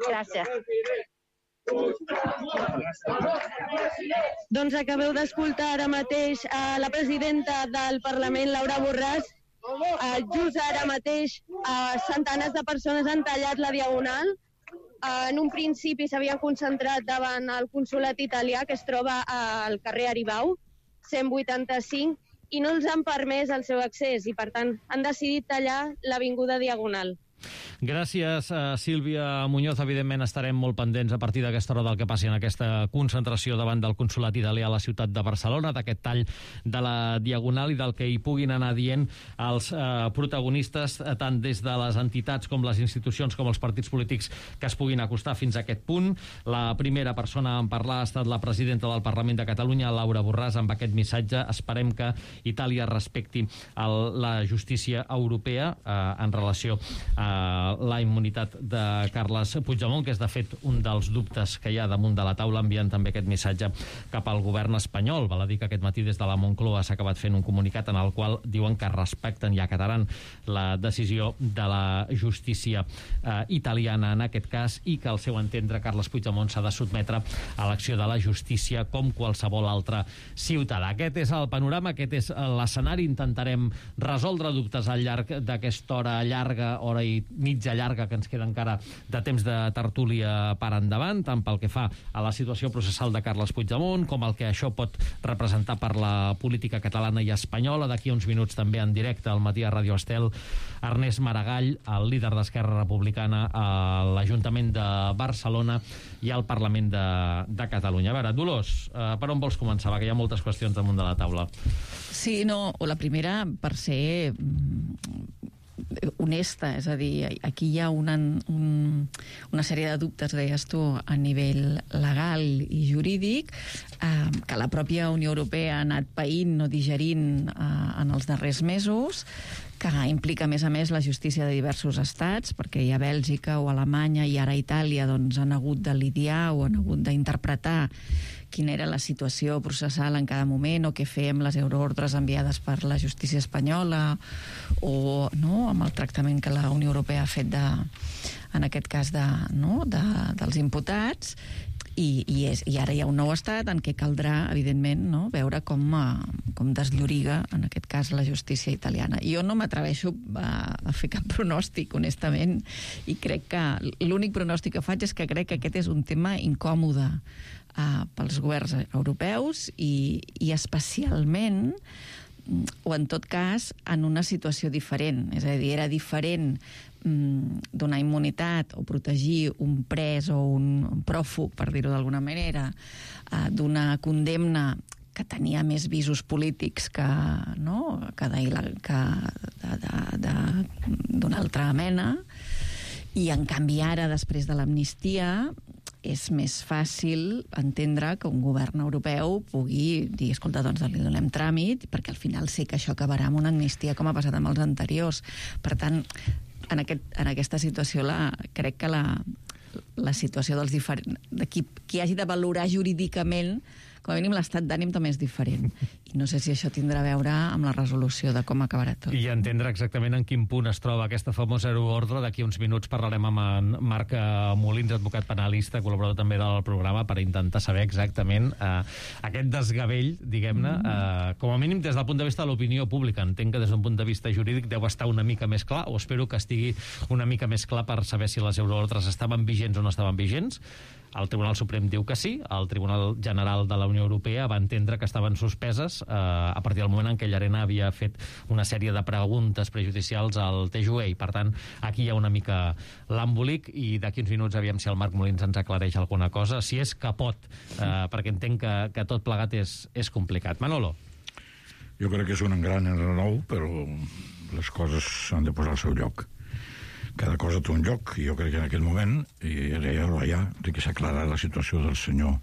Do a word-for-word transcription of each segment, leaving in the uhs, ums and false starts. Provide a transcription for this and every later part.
Gràcies. Doncs acabeu d'escoltar ara mateix a la presidenta del Parlament, Laura Borràs. Uh, just ara mateix uh, centenars de persones han tallat la Diagonal. Uh, en un principi s'havien concentrat davant el consolat italià, que es troba al carrer Aribau, cent vuitanta-cinc, i no els han permès el seu accés, i per tant han decidit tallar l'avinguda Diagonal. Gràcies, uh, Sílvia Muñoz. Evidentment estarem molt pendents a partir d'aquesta hora del que passi en aquesta concentració davant del consolat italià a la ciutat de Barcelona, d'aquest tall de la Diagonal i del que hi puguin anar dient els uh, protagonistes, uh, tant des de les entitats com les institucions com els partits polítics que es puguin acostar fins a aquest punt. La primera persona en parlar ha estat la presidenta del Parlament de Catalunya, Laura Borràs, amb aquest missatge. Esperem que Itàlia respecti el, la justícia europea uh, en relació a la immunitat de Carles Puigdemont, que és de fet un dels dubtes que hi ha damunt de la taula, enviant també aquest missatge cap al govern espanyol. Val a dir que aquest matí des de la Moncloa s'ha acabat fent un comunicat en el qual diuen que respecten i acataran la decisió de la justícia eh, italiana en aquest cas, i que al seu entendre Carles Puigdemont s'ha de sotmetre a l'acció de la justícia com qualsevol altre ciutadà. Aquest és el panorama, aquest és l'escenari. Intentarem resoldre dubtes al llarg d'aquesta hora llarga, hora i mitja llarga que ens queda encara de temps de tertúlia per endavant, tant pel que fa a la situació processal de Carles Puigdemont com el que això pot representar per la política catalana i espanyola. D'aquí uns minuts també en directe al matí a Ràdio Estel, Ernest Maragall, el líder d'Esquerra Republicana a l'Ajuntament de Barcelona i al Parlament de, de Catalunya. A veure, Dolors, eh, per on vols començar? Va, que hi ha moltes qüestions damunt de la taula. Sí, no, la primera, per ser honesta, és a dir, aquí hi ha una, un, una sèrie de dubtes, deies tu, a nivell legal i jurídic, eh, que la pròpia Unió Europea ha anat paint o digerint eh, en els darrers mesos, que implica, a més a més, la justícia de diversos estats, perquè ja Bèlgica o Alemanya i ara Itàlia doncs, han hagut de lidiar o han hagut d'interpretar quina era la situació processal en cada moment, o què fer amb les euroordres enviades per la justícia espanyola, o no, amb el tractament que la Unió Europea ha fet de, en aquest cas de, no, de, dels imputats. I, i, és, i ara hi ha un nou estat en què caldrà, evidentment, no, veure com, com deslloriga, en aquest cas, la justícia italiana. Jo no m'atreveixo a, a fer cap pronòstic, honestament, i crec que l'únic pronòstic que faig és que crec que aquest és un tema incòmode uh, pels governs europeus i, i especialment, o en tot cas, en una situació diferent. És a dir, era diferent donar immunitat o protegir un pres o un pròfug, per dir-ho d'alguna manera, d'una condemna que tenia més visos polítics que, no, que d'una altra mena, i en canvi ara, després de l'amnistia, és més fàcil entendre que un govern europeu pugui dir, escolta, doncs li donem tràmit, perquè al final sé que això acabarà amb una amnistia com ha passat amb els anteriors. Per tant, en, aquest, en aquesta situació la, crec que la, la situació dels diferents, de qui, qui hagi de valorar jurídicament, com a mínim l'estat d'ànim també és diferent, i no sé si això tindrà a veure amb la resolució de com acabarà tot. I entendre exactament en quin punt es troba aquesta famosa euroordre. D'aquí uns minuts parlarem amb en Marc Molins, advocat penalista, col·laborador també del programa, per intentar saber exactament eh, aquest desgavell, diguem-ne, eh, com a mínim des del punt de vista de l'opinió pública. Entenc que des d'un punt de vista jurídic deu estar una mica més clar, o espero que estigui una mica més clar per saber si les euroordres estaven vigents o no estaven vigents. El Tribunal Suprem diu que sí, el Tribunal General de la Unió Europea va entendre que estaven suspeses eh, a partir del moment en què Llarena havia fet una sèrie de preguntes prejudicials al T J U E. Per tant, aquí hi ha una mica l'embolic, i d'aquí uns minuts aviam si el Marc Molins ens aclareix alguna cosa, si és que pot, eh, perquè entenc que, que tot plegat és, és complicat. Manolo. Jo crec que és un gran enrenou, però les coses s'han de posar al seu lloc. Cada cosa té un lloc, i jo crec que en aquell moment i era ja l'hora ja de que s'aclarà la situació del senyor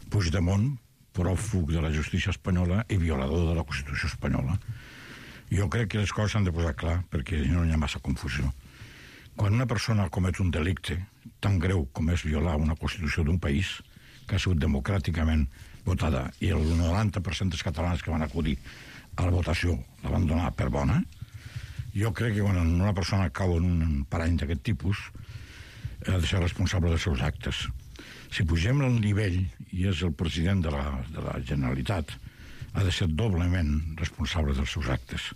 Puigdemont, pròfug de la justícia espanyola i violador de la Constitució espanyola. Jo crec que les coses s'han de posar clar, perquè no hi ha massa confusió. Quan una persona comet un delicte tan greu com és violar una Constitució d'un país que ha sigut democràticament votada, i el noranta per cent dels catalans que van acudir a la votació la van donar per bona, jo crec que quan una persona cau en un parany d'aquest tipus, ha de ser responsable dels seus actes. Si pugem el nivell, i és el president de la, de la Generalitat, ha de ser doblement responsable dels seus actes.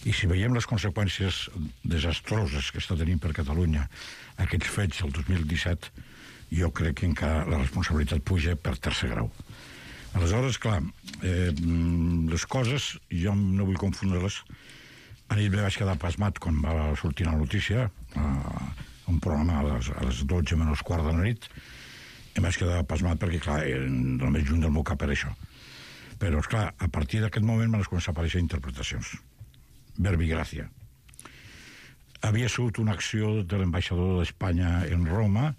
I si veiem les conseqüències desastroses que està tenint per Catalunya aquests fets el dos mil disset, jo crec que encara la responsabilitat puja per tercer grau. Aleshores, clar, eh, les coses, jo no vull confondre-les. A nit vaig quedar pasmat quan va sortir la notícia, a un programa a les, a les dotze menys quart de la nit, i vaig quedar pasmat perquè, clar, el més lluny del meu cap era això. Però, esclar, a partir d'aquest moment van començar a aparèixer interpretacions. Verbigràcia. Havia sigut una acció de l'ambaixador d'Espanya en Roma,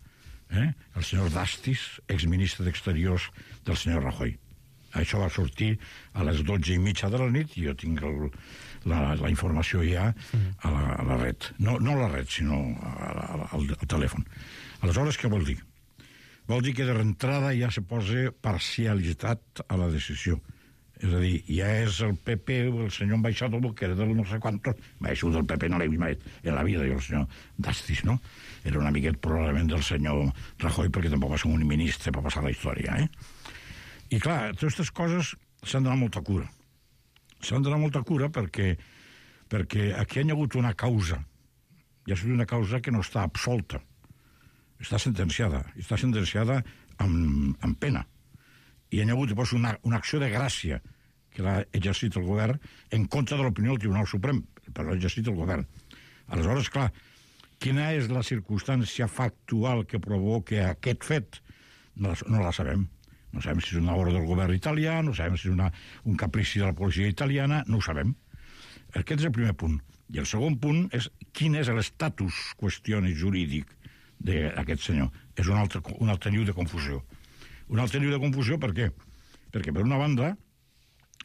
eh? el senyor Dastis, exministre d'Exteriors del senyor Rajoy. Això va sortir a les dotze i mitja de la nit i jo tinc el, la, la informació ja a la, a la red. No, no a la red, sinó a, a, al, al telèfon. Aleshores, què vol dir? Vol dir que de reentrada ja se posa parcialitat a la decisió. És a dir, ja és el P P, el senyor ambaixador, que era del no sé quantos, això del P P no l'he vist mai en la vida, i el senyor Dastis, no? Era un amiguet probablement del senyor Rajoy, perquè tampoc va ser un ministre per passar la història, eh? I clar, totes aquestes coses s'han d'anar molta cura. S'han d'anar molta cura perquè, perquè aquí hi ha hagut una causa, hi ha sigut una causa que no està absolta, està sentenciada, està sentenciada amb, amb pena. I hi ha hagut llavors una, una acció de gràcia que l'ha exercit el govern en contra de l'opinió del Tribunal Suprem, però l'ha exercit el govern. Aleshores, clar, quina és la circumstància factual que provoca aquest fet? No la, no la sabem. No sabem si és una obra del govern italià, no sabem si és una, un caprici de la policia italiana, no ho sabem. Aquest és el primer punt. I el segon punt és quin és l'estatus qüestiones jurídic d'aquest senyor. És un altre, un altre niu de confusió. Un altre niu de confusió, per què? Perquè, per una banda,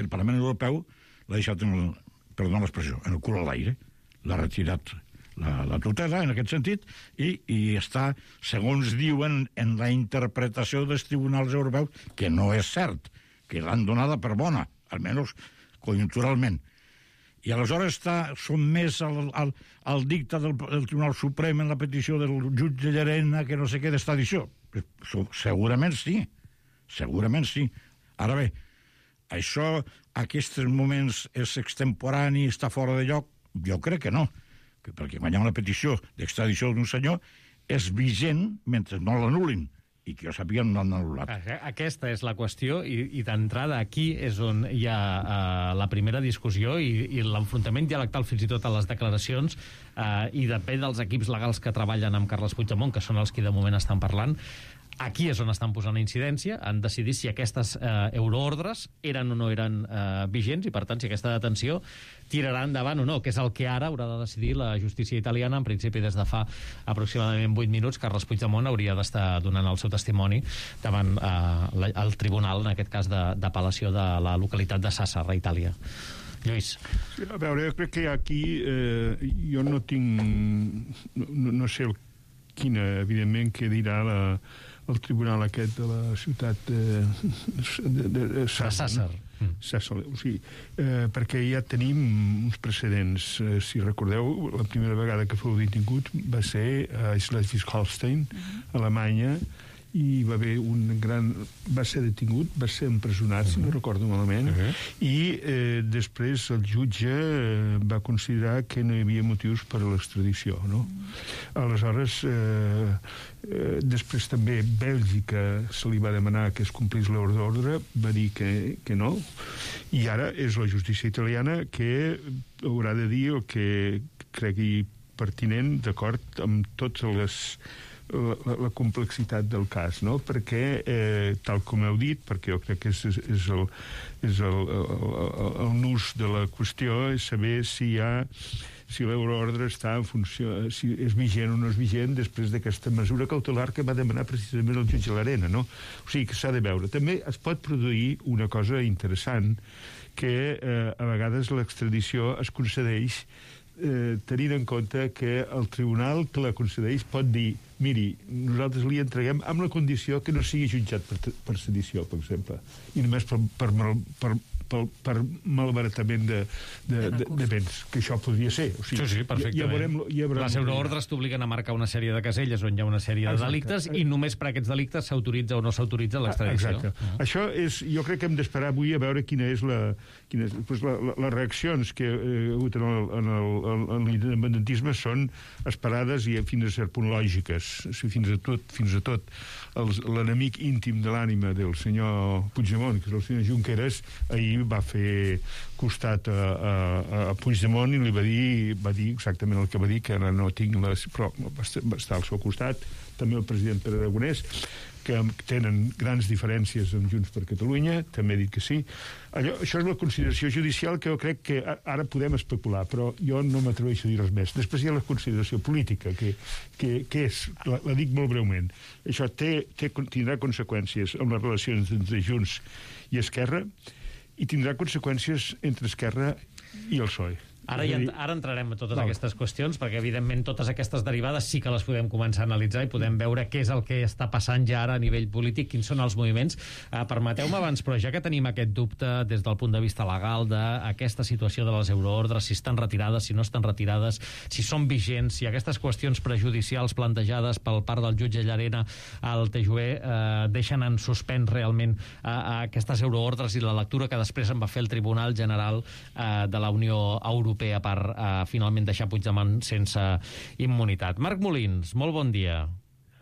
el Parlament Europeu l'ha deixat, en el, perdó l'expressió, en el cul a l'aire. L'ha retirat la, la tutela, en aquest sentit, i, i està, segons diuen, en la interpretació dels tribunals europeus, que no és cert, que l'han donada per bona, almenys conjunturalment. I aleshores està sotmès al, al, al dicta del, del Tribunal Suprem en la petició del jutge Llarena, que no sé què d'extradició. Segurament sí, segurament sí. Ara bé, això, aquests moments, és extemporani, està fora de lloc? Jo crec que no, perquè quan hi ha una petició d'extradició d'un senyor és vigent mentre no l'anul·lin, i que jo sàpiga no l'han anul·lat. Aquesta és la qüestió, i, i d'entrada aquí és on hi ha uh, la primera discussió i, i l'enfrontament dialectal fins i tot a les declaracions, uh, i depèn dels equips legals que treballen amb Carles Puigdemont, que són els que de moment estan parlant. Aquí és on estan posant incidència, han decidit si aquestes eh, euroordres eren o no eren eh, vigents, i per tant si aquesta detenció tirarà endavant o no, que és el que ara haurà de decidir la justícia italiana. En principi, des de fa aproximadament vuit minuts, Carles Puigdemont hauria d'estar donant el seu testimoni davant eh, el tribunal, en aquest cas d'apel·lació de la localitat de Sàsser, a Itàlia. Lluís. Sí, a veure, jo crec que aquí eh, jo no tinc... No, no sé el, quina, evidentment, que dirà la el tribunal aquest de la ciutat de, de, de, de Sàsser. Mm. Sàsser, o sigui, eh, perquè ja tenim uns precedents. Eh, si recordeu, la primera vegada que fou detingut va ser a Schleswig-Holstein, mm-hmm. Alemanya, i va haver un gran... va ser detingut, va ser empresonat, uh-huh. si no recordo malament, uh-huh. i eh, després el jutge eh, va considerar que no hi havia motius per a l'extradició, no? Uh-huh. Aleshores, eh, eh, després també Bèlgica se li va demanar que es complís l'ordre d'ordre, va dir que, que no, i ara és la justícia italiana que haurà de dir el que cregui pertinent, d'acord amb totes les... La, la complexitat del cas, no? Perquè, eh, tal com heu dit, perquè jo crec que és, és, el, és el, el, el, el nus de la qüestió, és saber si hi ha si l'euroordre està en funció, si és vigent o no és vigent després d'aquesta mesura cautelar que va demanar precisament el jutge Llarena, no? O sigui, que s'ha de veure. També es pot produir una cosa interessant, que eh, a vegades l'extradició es concedeix Eh, tenint en compte que el tribunal que la concedeix pot dir, miri, nosaltres li entreguem amb la condició que no sigui jutjat per, per sedició, per exemple, i només per, per, per, per, per malbaratament de, de, de, de béns, que això podria ser. O sigui, sí, sí, perfectament. Ja, ja veurem, ja veurem les euroordres t'obliguen a marcar una sèrie de caselles on hi ha una sèrie de Exacte. delictes i només per aquests delictes s'autoritza o no s'autoritza l'extradició. Exacte. Uh -huh. Això és, jo crec que hem d'esperar avui a veure quina és la, quina és, doncs la, la, les reaccions que hi ha hagut en l'independentisme són esperades i fins a cert punt lògiques. O sigui, fins a tot, fins a tot l'enemic íntim de l'ànima del senyor Puigdemont, que és el senyor Junqueras, ahir va fer costat a, a, a Puigdemont i li va dir, va dir exactament el que va dir, que ara no tinc les... però va estar al seu costat, també el president Pere Aragonès, que tenen grans diferències amb Junts per Catalunya, també ha dit que sí. Allò, això és la consideració judicial que jo crec que ara podem especular, però jo no m'atreveixo a dir res més. Després hi ha la consideració política, que, que, que és, la, la dic molt breument, això té, té, tindrà conseqüències en les relacions entre Junts i Esquerra i tindrà conseqüències entre Esquerra i el P S O E. Ara, ja, ara entrarem a totes Val. aquestes qüestions, perquè evidentment totes aquestes derivades sí que les podem començar a analitzar i podem veure què és el que està passant ja ara a nivell polític, quins són els moviments. Uh, Permeteu-me abans, però ja que tenim aquest dubte des del punt de vista legal d'aquesta situació de les euroordres, si estan retirades, si no estan retirades, si són vigents, si aquestes qüestions prejudicials plantejades pel part del jutge Llarena al T J U E uh, deixen en suspens realment uh, aquestes euroordres i la lectura que després en va fer el Tribunal General uh, de la Unió Europea per uh, finalment deixar Puigdemont sense immunitat. Marc Molins, molt bon dia.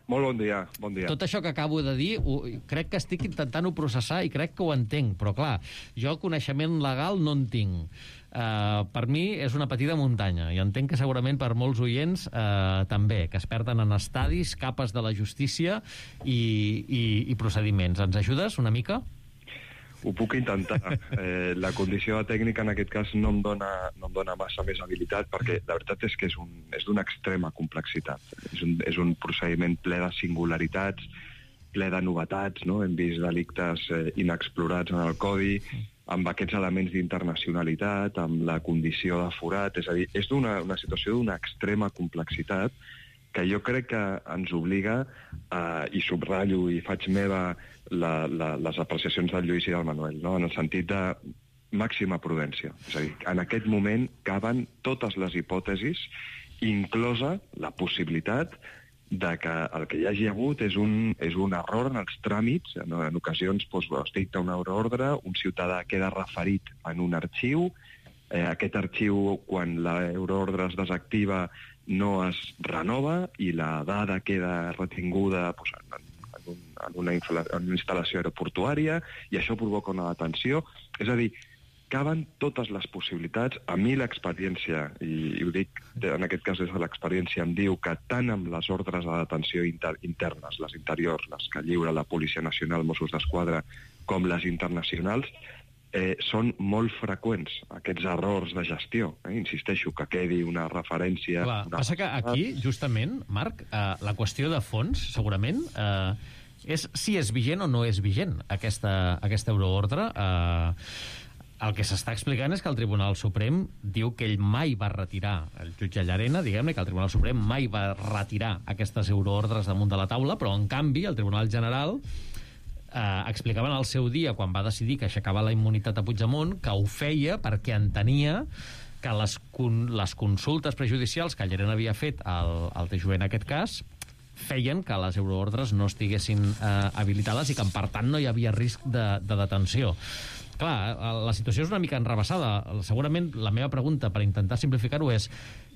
Molt bon dia, bon dia. Tot això que acabo de dir, ho, crec que estic intentant-ho processar i crec que ho entenc, però clar, jo coneixement legal no en tinc. Uh, per mi és una petita muntanya i entenc que segurament per molts oients uh, també, que es perden en estadis, capes de la justícia i, i, i procediments. Ens ajudes una mica? Ho puc intentar. Eh, la condició tècnica en aquest cas no em dona, no em dona massa més habilitat perquè la veritat és que és, un, és d'una extrema complexitat. És un, és un procediment ple de singularitats, ple de novetats, no? Hem vist delictes eh, inexplorats en el codi, amb aquests elements d'internacionalitat, amb la condició de forat, és a dir, és d'una una situació d'una extrema complexitat que jo crec que ens obliga, eh, i subratllo i faig meva la, la, les apreciacions del Lluís i del Manuel, no? En el sentit de màxima prudència. És a dir, en aquest moment caben totes les hipòtesis, inclosa la possibilitat de que el que hi hagi hagut és un, és un error en els tràmits. En, en ocasions doncs, es dicta una euroordre, un ciutadà queda referit en un arxiu, eh, aquest arxiu, quan l'euroordre es desactiva, no es renova i la dada queda retinguda doncs, en, en, un, en, una en una instal·lació aeroportuària i això provoca una detenció. És a dir, caben totes les possibilitats. A mi l'experiència, i, i ho dic en aquest cas des de l'experiència, em diu que tant amb les ordres de detenció inter, internes, les interiors, les que lliura la Policia Nacional, Mossos d'Esquadra, com les internacionals, Eh, són molt freqüents aquests errors de gestió. Eh? Insisteixo, que quedi una referència... Clar, una... passa que aquí, justament, Marc, eh, la qüestió de fons, segurament, eh, és si és vigent o no és vigent aquesta, aquesta euroordre. Eh, el que s'està explicant és que el Tribunal Suprem diu que ell mai va retirar, el jutge Llarena, diguem-ne, que el Tribunal Suprem mai va retirar aquestes euroordres damunt de la taula, però, en canvi, el Tribunal General eh, explicaven al seu dia, quan va decidir que aixecava la immunitat a Puigdemont, que ho feia perquè entenia que les, con les consultes prejudicials que Llarena havia fet al, al T J U E en aquest cas feien que les euroordres no estiguessin eh, habilitades i que, per tant, no hi havia risc de, de detenció. Clar, la situació és una mica enrevessada. Segurament la meva pregunta, per intentar simplificar-ho, és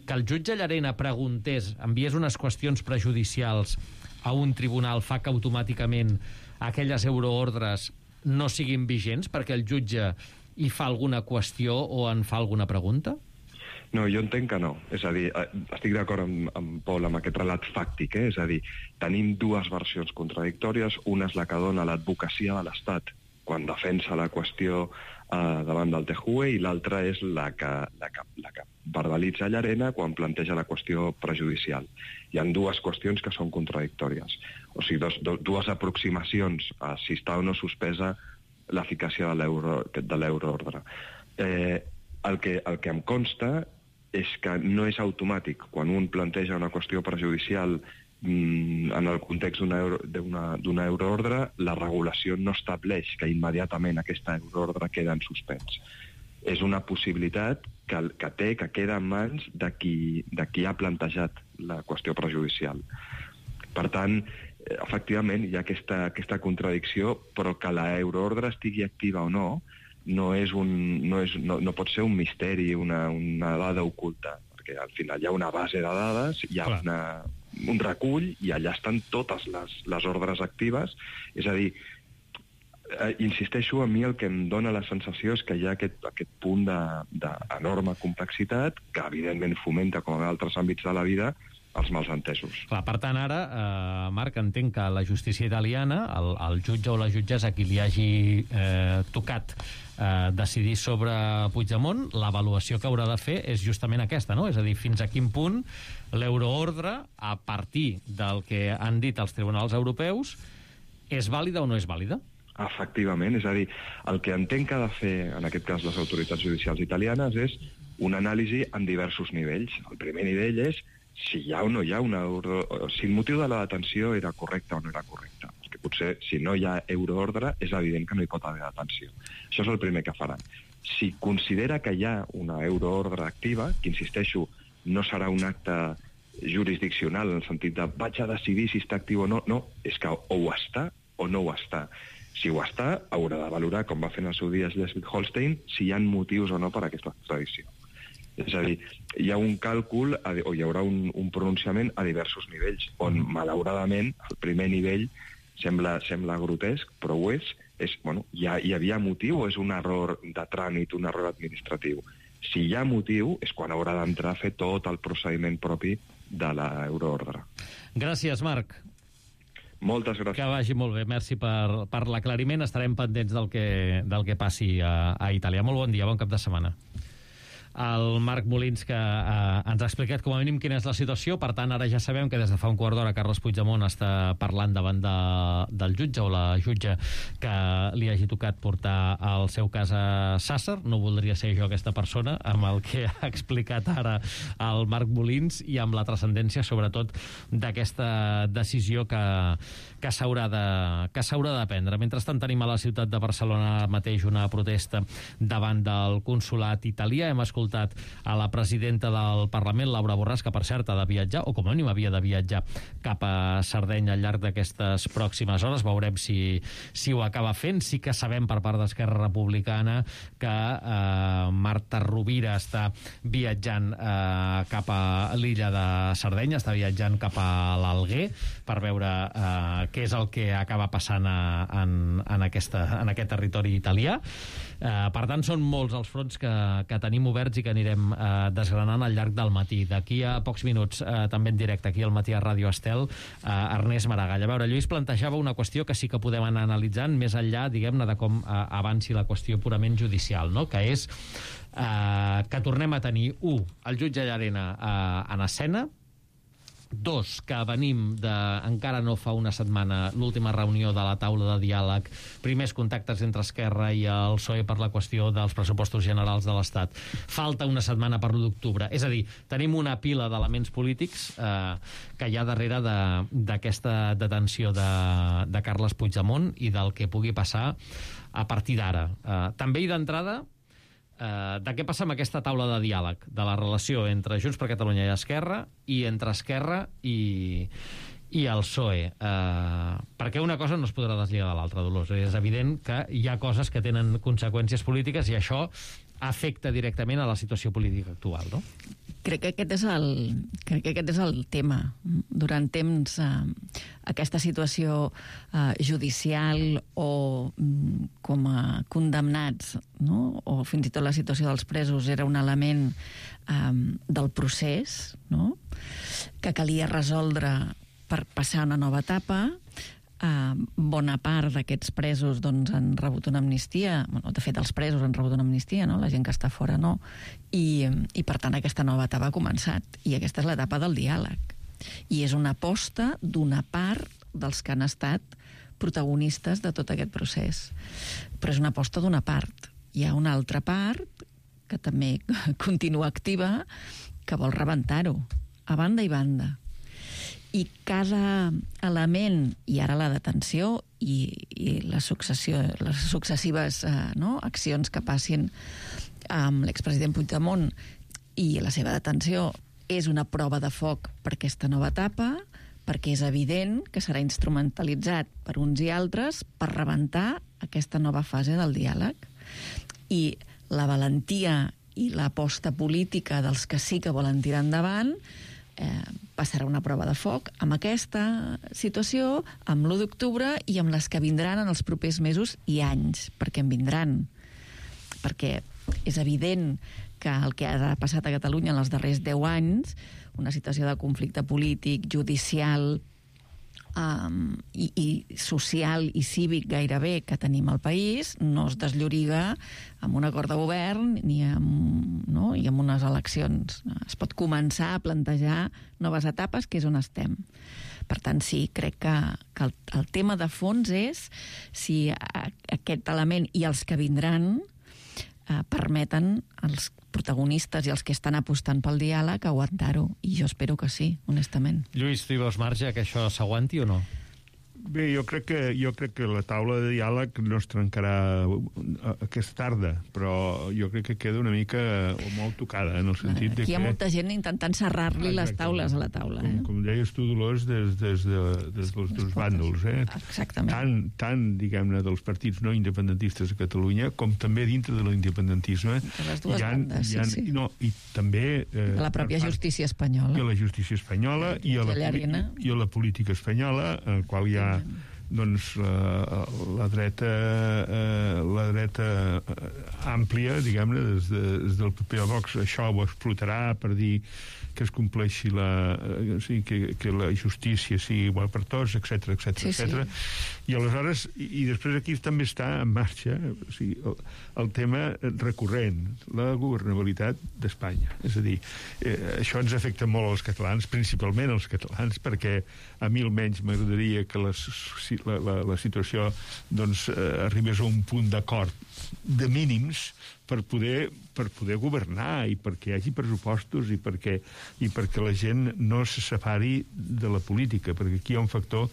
que el jutge Llarena preguntés, enviés unes qüestions prejudicials a un tribunal, fa que automàticament aquelles euroordres no siguin vigents perquè el jutge hi fa alguna qüestió o en fa alguna pregunta? No, jo entenc que no. És a dir, estic d'acord amb, amb Pol amb aquest relat fàctic, eh? És a dir, tenim dues versions contradictòries. Una és la que dona l'advocacia de l'Estat quan defensa la qüestió eh, davant del T J U E, i l'altra és la que, la, que, la que verbalitza Llarena quan planteja la qüestió prejudicial. Hi ha dues qüestions que són contradictòries. O sigui, dos, dos, dues aproximacions a si està o no suspesa l'eficàcia de l'euroordre. Eh, el, que, el que em consta és que no és automàtic. Quan un planteja una qüestió prejudicial en el context d'una euro, d'una euroordre, la regulació no estableix que immediatament aquesta euroordre queda en suspens. És una possibilitat que, que té, que queda en mans de qui, de qui ha plantejat la qüestió prejudicial. Per tant, efectivament, hi ha aquesta, aquesta contradicció, però que la euroordre estigui activa o no, no, és un, no, és, no, no pot ser un misteri, una, una dada oculta, perquè al final hi ha una base de dades, hi ha una, un recull i allà estan totes les, les ordres actives. És a dir, eh, insisteixo, a mi el que em dóna la sensació és que hi ha aquest, aquest punt d'enorme complexitat que evidentment fomenta, com en altres àmbits de la vida, els malentesos. Clar, per tant, ara, eh, Marc, entenc que la justícia italiana, el, el jutge o la jutgessa a qui li hagi eh, tocat eh, decidir sobre Puigdemont, l'avaluació que haurà de fer és justament aquesta, no? És a dir, fins a quin punt l'euroordre, a partir del que han dit els tribunals europeus, és vàlida o no és vàlida? Efectivament, és a dir, el que entenc que ha de fer, en aquest cas, les autoritats judicials italianes és una anàlisi en diversos nivells. El primer nivell és si hi ha o no hi ha una euro... si el motiu de la detenció era correcte o no era correcte. Perquè potser, si no hi ha euroordre, és evident que no hi pot haver detenció. Això és el primer que faran. Si considera que hi ha una euroordre activa, que, insisteixo, no serà un acte jurisdiccional, en el sentit de vaig a decidir si està actiu o no, no, és que o ho està o no ho està. Si ho està, haurà de valorar, com va fer en el seu dia Schleswig-Holstein, si hi ha motius o no per a aquesta extradició. És a dir, hi ha un càlcul o hi haurà un, un pronunciament a diversos nivells, on, malauradament, el primer nivell sembla, sembla grotesc, però ho és, és bueno, hi, ha, hi havia motiu o és un error de tràmit, un error administratiu? Si hi ha motiu, és quan haurà d'entrar a fer tot el procediment propi de l'euroordre. Gràcies, Marc. Moltes gràcies. Que vagi molt bé. Merci per, per l'aclariment. Estarem pendents del que, del que passi a, a Itàlia. Molt bon dia, bon cap de setmana. El Marc Molins, que eh, ens ha explicat com a mínim quina és la situació. Per tant, ara ja sabem que des de fa un quart d'hora Carles Puigdemont està parlant davant de, del jutge o la jutge que li hagi tocat portar el seu cas a Sàsser. No voldria ser jo aquesta persona, amb el que ha explicat ara el Marc Molins i amb la transcendència, sobretot, d'aquesta decisió que, que s'haurà de, que s'haurà de prendre. Mentrestant, tenim a la ciutat de Barcelona mateix una protesta davant del consolat italià. Hem escoltat a la presidenta del Parlament, Laura Borràs, que per cert ha de viatjar, o com a mínim havia de viatjar cap a Sardenya al llarg d'aquestes pròximes hores. Veurem si, si ho acaba fent. Sí que sabem per part d'Esquerra Republicana que eh, Marta Rovira està viatjant eh, cap a l'illa de Sardenya, està viatjant cap a l'Alguer per veure eh, què és el que acaba passant a, en, en, aquesta, en aquest territori italià. Eh, per tant, són molts els fronts que, que tenim oberts i que anirem eh, desgranant al llarg del matí. D'aquí a pocs minuts, eh, també en directe, aquí al matí a Ràdio Estel, eh, Ernest Maragall. A veure, Lluís plantejava una qüestió que sí que podem anar analitzant més enllà, diguem-ne, de com eh, avanci la qüestió purament judicial, no? Que és eh, que tornem a tenir, u, el jutge Llarena eh, en escena, dos, que venim de, encara no fa una setmana, l'última reunió de la taula de diàleg, primers contactes entre Esquerra i el P S O E per la qüestió dels pressupostos generals de l'Estat. Falta una setmana per l'u d'octubre. És a dir, tenim una pila d'elements polítics eh, que hi ha darrere d'aquesta de, detenció de, de Carles Puigdemont i del que pugui passar a partir d'ara. Eh, també i d'entrada, Uh, de què passa amb aquesta taula de diàleg, de la relació entre Junts per Catalunya i Esquerra i entre Esquerra i, i el P S O E. Uh, perquè una cosa no es podrà deslligar de l'altra, Dolors. És evident que hi ha coses que tenen conseqüències polítiques i això afecta directament a la situació política actual, no? Crec que aquest és el, crec que aquest és el tema. Durant temps, eh, aquesta situació eh, judicial o mm, com a condemnats, no? O fins i tot la situació dels presos era un element eh, del procés, no? Que calia resoldre per passar a una nova etapa. Uh, bona part d'aquests presos doncs, han rebut una amnistia. Bueno, de fet, els presos han rebut una amnistia, no? La gent que està fora no. I, i per tant, aquesta nova etapa ha començat. I aquesta és l'etapa del diàleg. I és una aposta d'una part dels que han estat protagonistes de tot aquest procés. Però és una aposta d'una part. Hi ha una altra part que també continua activa, que vol rebentar-ho, a banda i banda. I cada element, i ara la detenció i, i la successió, les successives eh, no, accions que passin amb l'expresident Puigdemont i la seva detenció, és una prova de foc per aquesta nova etapa, perquè és evident que serà instrumentalitzat per uns i altres per rebentar aquesta nova fase del diàleg. I la valentia i l'aposta política dels que sí que volen tirar endavant eh, passarà una prova de foc amb aquesta situació, amb l'u d'octubre i amb les que vindran en els propers mesos i anys, perquè en vindran. Perquè és evident que el que ha passat a Catalunya en els darrers deu anys, una situació de conflicte polític, judicial um, i, i social i cívic gairebé que tenim al país, no es deslloriga amb un acord de govern ni amb, no, i amb unes eleccions. Es pot començar a plantejar noves etapes, que és on estem. Per tant, sí, crec que, que el, el tema de fons és si a, aquest element i els que vindran eh, permeten als protagonistes i els que estan apostant pel diàleg aguantar-ho, i jo espero que sí, honestament. Lluís, tu hi veus marge que això s'aguanti o no? Bé, jo crec que jo crec que la taula de diàleg no es trencarà aquesta tarda, però jo crec que queda una mica o molt tocada, en el sentit de que... Aquí hi ha molta gent intentant serrar-li les taules a la taula. Com, eh? com deies tu, Dolors, des, des, de, des dels dos bàndols, eh? Exactament. Tant, tant diguem-ne, dels partits no independentistes a Catalunya, com també dintre de l'independentisme. De les dues hi ha, bandes, hi ha, sí, sí. No, i també... Eh, De la pròpia justícia espanyola. I a la justícia espanyola i a la, i a la política espanyola, en el qual hi ha doncs la, la dreta eh, la dreta àmplia, diguem-ne, des, de, des del P P a Vox, això ho explotarà per dir que es compleixi la, o sigui, que, que la justícia sigui igual per tots, etcètera, etcètera, sí, etcètera. Sí. I aleshores, i, i després aquí també està en marxa, o sigui, el, el tema recurrent, la governabilitat d'Espanya. És a dir, eh, això ens afecta molt als catalans, principalment als catalans, perquè a mi almenys m'agradaria que les, la, la, la situació doncs, eh, arribés a un punt d'acord de mínims per poder, per poder governar i perquè hi hagi pressupostos i perquè, i perquè la gent no se separi de la política, perquè aquí hi ha un factor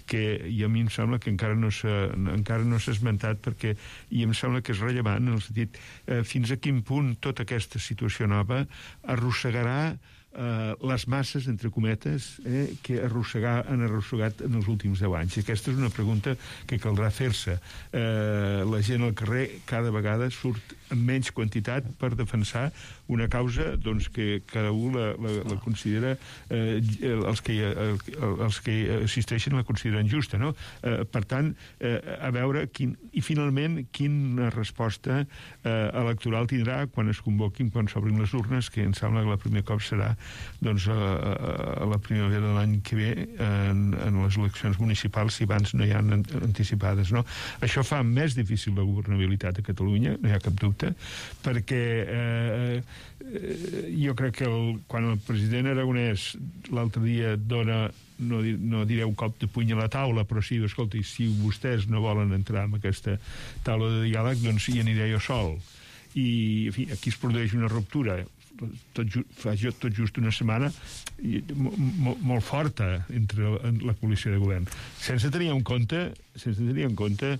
que i a mi em sembla que encara no s'ha encara no s'ha esmentat, perquè i em sembla que és rellevant en el sentit eh, fins a quin punt tota aquesta situació nova arrossegarà Uh, les masses, entre cometes, eh, que arrossegar, han arrossegat en els últims deu anys. I aquesta és una pregunta que caldrà fer-se. Uh, la gent al carrer cada vegada surt en menys quantitat per defensar una causa doncs, que cada un la, la, la considera eh, els, que, eh, els que assisteixen la consideren justa, no? Eh, per tant, eh, a veure quin, i finalment quina resposta eh, electoral tindrà quan es convoquin, quan s'obrin les urnes, que em sembla que la primer cop serà doncs, a, a la primavera de l'any que ve en, en les eleccions municipals, si abans no hi ha anticipades, no? Això fa més difícil la governabilitat a Catalunya, no hi ha cap dubte, perquè eh, jo crec que el, quan el president Aragonès l'altre dia dona, no, no diré un cop de puny a la taula, però sí, escolta, si vostès no volen entrar en aquesta taula de diàleg, doncs hi aniré jo sol. I, en fi, aquí es produeix una ruptura tot, ju, fa tot just una setmana i, mo, molt forta entre la, la coalició de govern, sense tenir en compte sense tenir en compte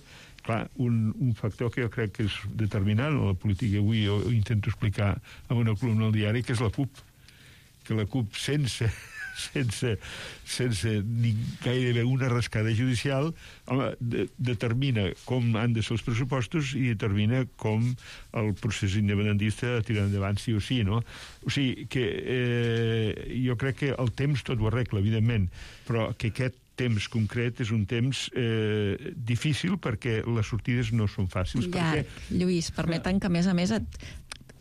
clar, un, un factor que jo crec que és determinant en la política. Avui jo, jo intento explicar en una columna al diari, que és la CUP, que la CUP sense sense, sense ni gairebé una rascada judicial home, de, determina com han de ser els pressupostos i determina com el procés independentista tira endavant sí o sí, no? O sigui que eh, jo crec que el temps tot ho arregla, evidentment, però que aquest temps concret és un temps eh, difícil perquè les sortides no són fàcils. Llarg, perquè... Lluís, permeten que a més a més et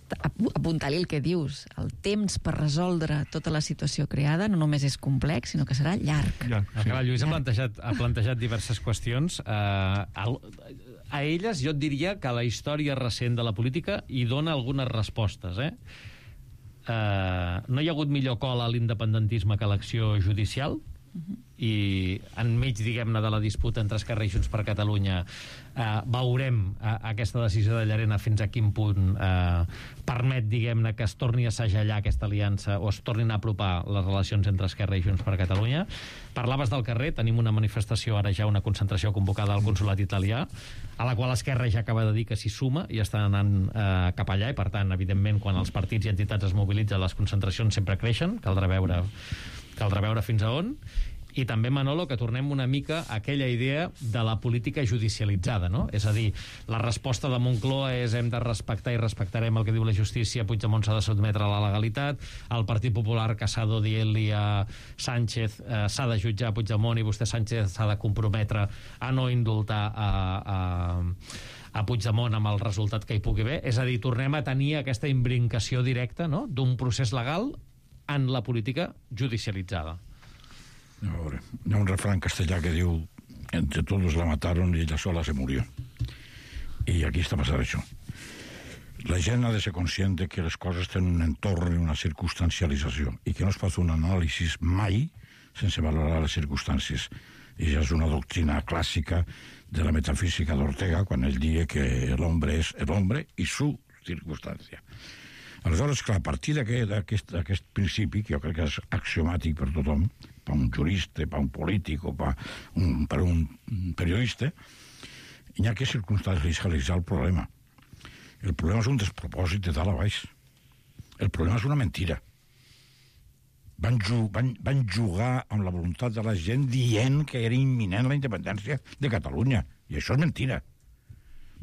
apuntar-li el que dius. El temps per resoldre tota la situació creada no només és complex, sinó que serà llarg. llarg sí. Clar, Lluís ha plantejat, ha plantejat diverses qüestions. Uh, a, a elles jo et diria que la història recent de la política hi dona algunes respostes. Eh? Uh, no hi ha hagut millor cola a l'independentisme que l'acció judicial. uh-huh. i enmig, diguem-ne, de la disputa entre Esquerra i Junts per Catalunya eh, veurem eh, aquesta decisió de Llarena fins a quin punt eh, permet, diguem-ne, que es torni a segellar aquesta aliança o es tornin a apropar les relacions entre Esquerra i Junts per Catalunya. Parlaves del carrer, tenim una manifestació, ara ja una concentració convocada al consolat italià, a la qual Esquerra ja acaba de dir que s'hi suma i està anant eh, cap allà, i per tant, evidentment, quan els partits i entitats es mobilitzen, les concentracions sempre creixen, caldrà veure, caldrà veure fins a on. I també, Manolo, que tornem una mica a aquella idea de la política judicialitzada, no? És a dir, la resposta de Moncloa és hem de respectar i respectarem el que diu la justícia, Puigdemont s'ha de sotmetre a la legalitat, el Partit Popular Casado dient-li a Sánchez eh, s'ha de jutjar a Puigdemont i vostè, Sánchez, s'ha de comprometre a no indultar a, a, a Puigdemont amb el resultat que hi pugui haver. És a dir, tornem a tenir aquesta imbrincació directa, no?, d'un procés legal en la política judicialitzada. A veure, hi ha un refrán castellà que diu entre todos la mataron y ella sola se murió. I aquí està passant això. La gent ha de ser conscient que les coses tenen un entorn i una circumstancialització i que no es pot fer un anàlisi mai sense valorar les circumstàncies. I ja és una doctrina clàssica de la metafísica d'Ortega quan ell diu que l'hombre és l'hombre i su circumstància. Aleshores, clar, a partir d'aquest principi, que jo crec que és axiomàtic per tothom, per un jurista, per un polític o per un, per un periodista, hi ha que circumstancialitzar el problema. El problema és un despropòsit de dalt a baix. El problema és una mentira. Van, ju van, van jugar amb la voluntat de la gent dient que era imminent la independència de Catalunya. I això és mentira.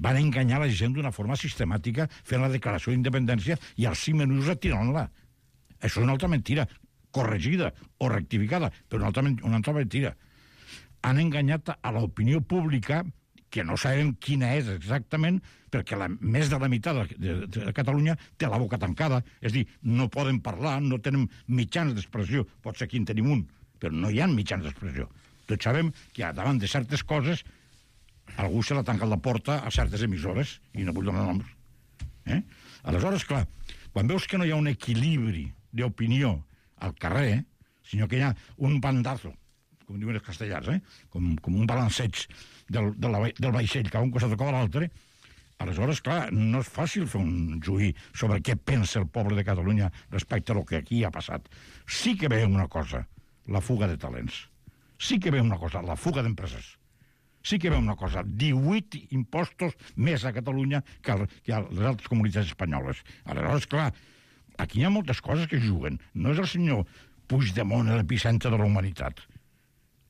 Van enganyar la gent d'una forma sistemàtica fent la declaració d'independència i als cinc minuts retirant-la. Això és una altra mentira, corregida o rectificada, però una altra, una altra mentira. Han enganyat a l'opinió pública, que no sabem quina és exactament, perquè la, més de la meitat de, de, de Catalunya té la boca tancada, és a dir, no poden parlar, no tenen mitjans d'expressió, pot ser que en tenim un, però no hi ha mitjans d'expressió. Tots sabem que davant de certes coses algú se la tanca la porta a certes emissores, i no vull donar noms. Eh? Aleshores, clar, quan veus que no hi ha un equilibri d'opinió al carrer, sinó que hi ha un bandazo, com diuen els castellans, eh? com, com un balanceig del, del, del vaixell que a un costat toca a l'altre, aleshores, clar, no és fàcil fer un juí sobre què pensa el poble de Catalunya respecte a lo que aquí ha passat. Sí que veiem una cosa, la fuga de talents. Sí que veiem una cosa, la fuga d'empreses. Sí que veiem una cosa, divuit impostos més a Catalunya que a, que a les altres comunitats espanyoles. Aleshores, clar, aquí hi ha moltes coses que juguen. No és el senyor Puigdemont l'epicentre de la humanitat.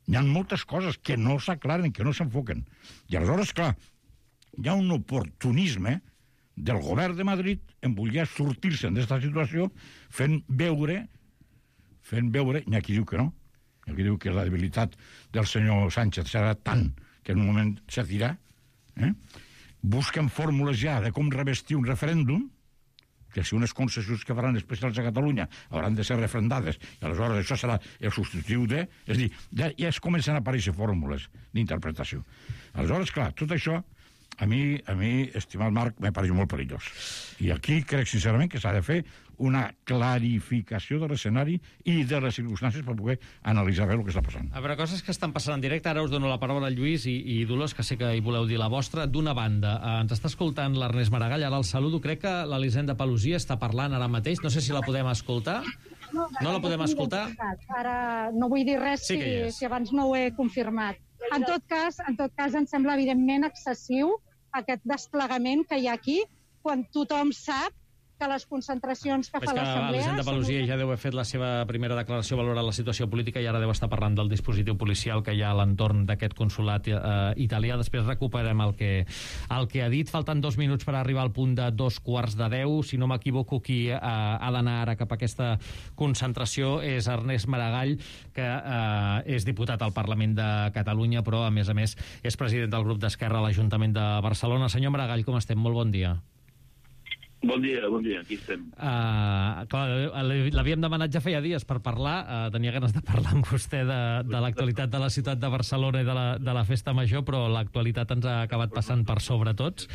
Hi ha moltes coses que no s'aclaren, que no s'enfoquen. I aleshores, clar, hi ha un oportunisme del govern de Madrid en voler sortir-se d'aquesta situació fent veure, fent veure, i aquí diu que no, aquí diu que la debilitat del senyor Sánchez serà tant que en un moment servirà, eh? Busquen fórmules ja de com revestir un referèndum, que si unes concessions que faran especials a Catalunya hauran de ser refrendades, i aleshores això serà el substitutiu de... És a dir, ja, ja es comencen a aparèixer fórmules d'interpretació. Aleshores, clar, tot això, a mi, a mi estimat Marc, m'ha parit molt perillós. I aquí crec sincerament que s'ha de fer una clarificació de l'escenari i de les circumstàncies per poder analitzar bé el que està passant. A veure, coses que estan passant en directe. Ara us dono la paraula a Lluís i, i Dolors, que sé que hi voleu dir la vostra. D'una banda, eh, ens està escoltant l'Ernest Maragall, ara el saludo. Crec que l'Elisenda Pelosia està parlant ara mateix. No sé si la podem escoltar. No, no la podem escoltar? Ara no vull dir res sí si, si abans no ho he confirmat. En tot cas, en tot cas, em sembla evidentment excessiu aquest desplegament que hi ha aquí, quan tothom sap que les concentracions que és fa l'Assemblea... Elisenda Pelosia ja deu haver fet la seva primera declaració valorant la situació política i ara deu estar parlant del dispositiu policial que hi ha a l'entorn d'aquest consolat eh, italià. Després recuperem el que, el que ha dit. Falten dos minuts per arribar al punt de dos quarts de deu. Si no m'equivoco, qui eh, ha d'anar ara cap a aquesta concentració és Ernest Maragall, que eh, és diputat al Parlament de Catalunya, però, a més a més, és president del grup d'Esquerra a l'Ajuntament de Barcelona. Senyor Maragall, com estem? Molt bon dia. Bon dia, bon dia, aquí estem. Uh, clar, l'havíem demanat ja feia dies per parlar, uh, tenia ganes de parlar amb vostè de, de l'actualitat de la ciutat de Barcelona i de la, de la Festa Major, però l'actualitat ens ha acabat passant per sobre tots.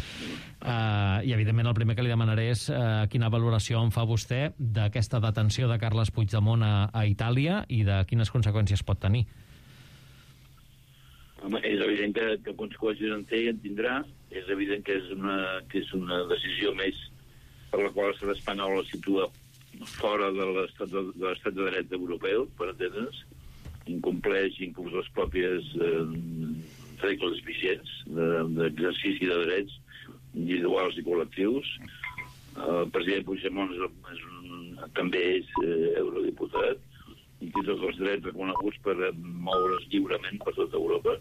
Uh, I, evidentment, el primer que li demanaré és uh, quina valoració en fa vostè d'aquesta detenció de Carles Puigdemont a, a Itàlia i de quines conseqüències pot tenir. Home, és evident que, que conseqüències en té i en tindrà. És evident que és una, que és una decisió més per la qual l'estat espanyol es situa fora de l'estat de, de, l'estat de dret europeu, per entendre's, incompleix inclús les pròpies eh, regles vigents d'exercici de, de drets individuals i col·lectius. El president Puigdemont és, és un, també és eh, eurodiputat i té tots els drets reconeguts per moure's lliurement per tota Europa,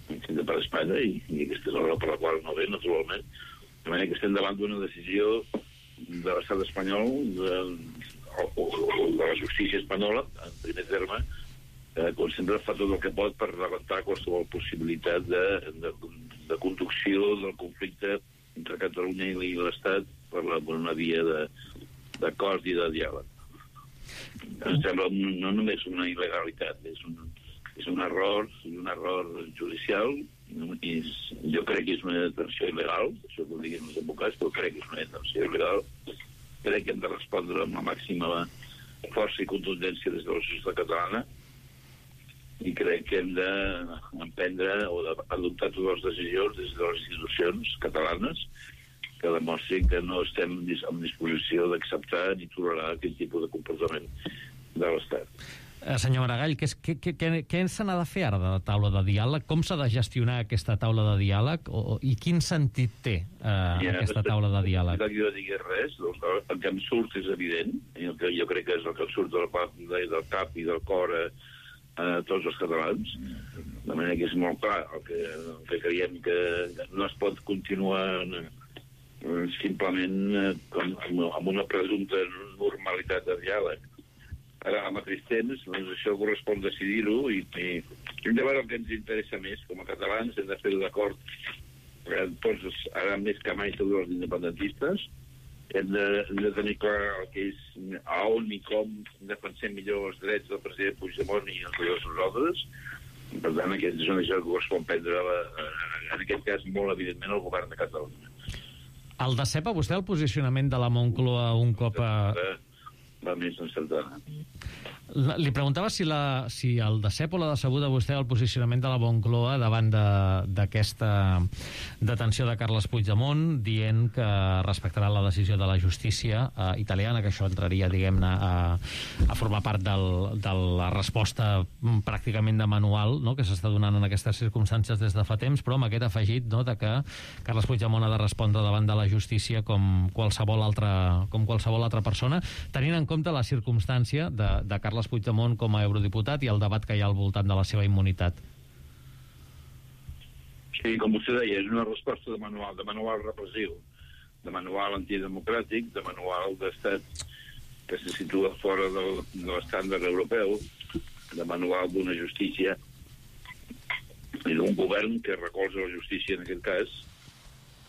fins per Espanya, i, i aquesta és la raó per la qual no ve, naturalment. De manera que estem davant d'una decisió de l'estat espanyol, de, o, o, o de la justícia espanyola, en primer terme, eh, com sempre fa tot el que pot per rebentar qualsevol possibilitat de, de, de conducció del conflicte entre Catalunya i l'Estat per, la, per una via d'acord i de diàleg. Em sembla no només una il·legalitat, és un, és un error, un error judicial. És, jo crec que és una detenció il·legal, això que ho diguin els advocats, però crec que és una detenció il·legal. Crec que hem de respondre amb la màxima força i contundència des de la societat catalana i crec que hem d'emprendre o d'adoptar totes les decisions des de les institucions catalanes que demostrin que no estem en disposició d'acceptar ni tolerar aquest tipus de comportament de l'Estat. Senyor Maragall, què, què, què, què se n'ha de fer ara de la taula de diàleg? Com s'ha de gestionar aquesta taula de diàleg? O, I quin sentit té eh, ja, aquesta taula de diàleg? No jo digués res, doncs, el que em surt és evident, i el que jo crec que és el que em surt del, del cap i del cor a, a tots els catalans, de manera que és molt clar el que, el que creiem que no es pot continuar simplement com, amb una presumpta normalitat de diàleg. Ara, al mateix temps, doncs això correspon decidir-ho i, i hem de veure el que ens interessa més. Com a catalans hem de fer-ho d'acord, tots, ara més que mai, tots els independentistes. Hem de, hem de tenir clar el que és a on i com defensem millor els drets del president Puigdemont i els millors nosaltres. Per tant, aquest és una decisió que correspon prendre, la, en aquest cas, molt evidentment, el govern de Catalunya. El decepa vostè el posicionament de la Moncloa un cop a... va més encertada. Li preguntava si, la, si el decep o l'ha decebut a vostè el posicionament de la Moncloa davant d'aquesta de, detenció de Carles Puigdemont, dient que respectarà la decisió de la justícia eh, italiana, que això entraria, diguem-ne, a, a formar part del, de la resposta pràcticament de manual, no?, que s'està donant en aquestes circumstàncies des de fa temps, però amb aquest afegit, no?, de que Carles Puigdemont ha de respondre davant de la justícia com qualsevol altra, com qualsevol altra persona, tenint en compte la circumstància de, de Carles Puigdemont com a eurodiputat i el debat que hi ha al voltant de la seva immunitat. Sí, com vostè deia, és una resposta de manual, de manual repressiu, de manual antidemocràtic, de manual d'estat que se situa fora del, de l'estàndard europeu, de manual d'una justícia i d'un govern que recolza la justícia en aquest cas,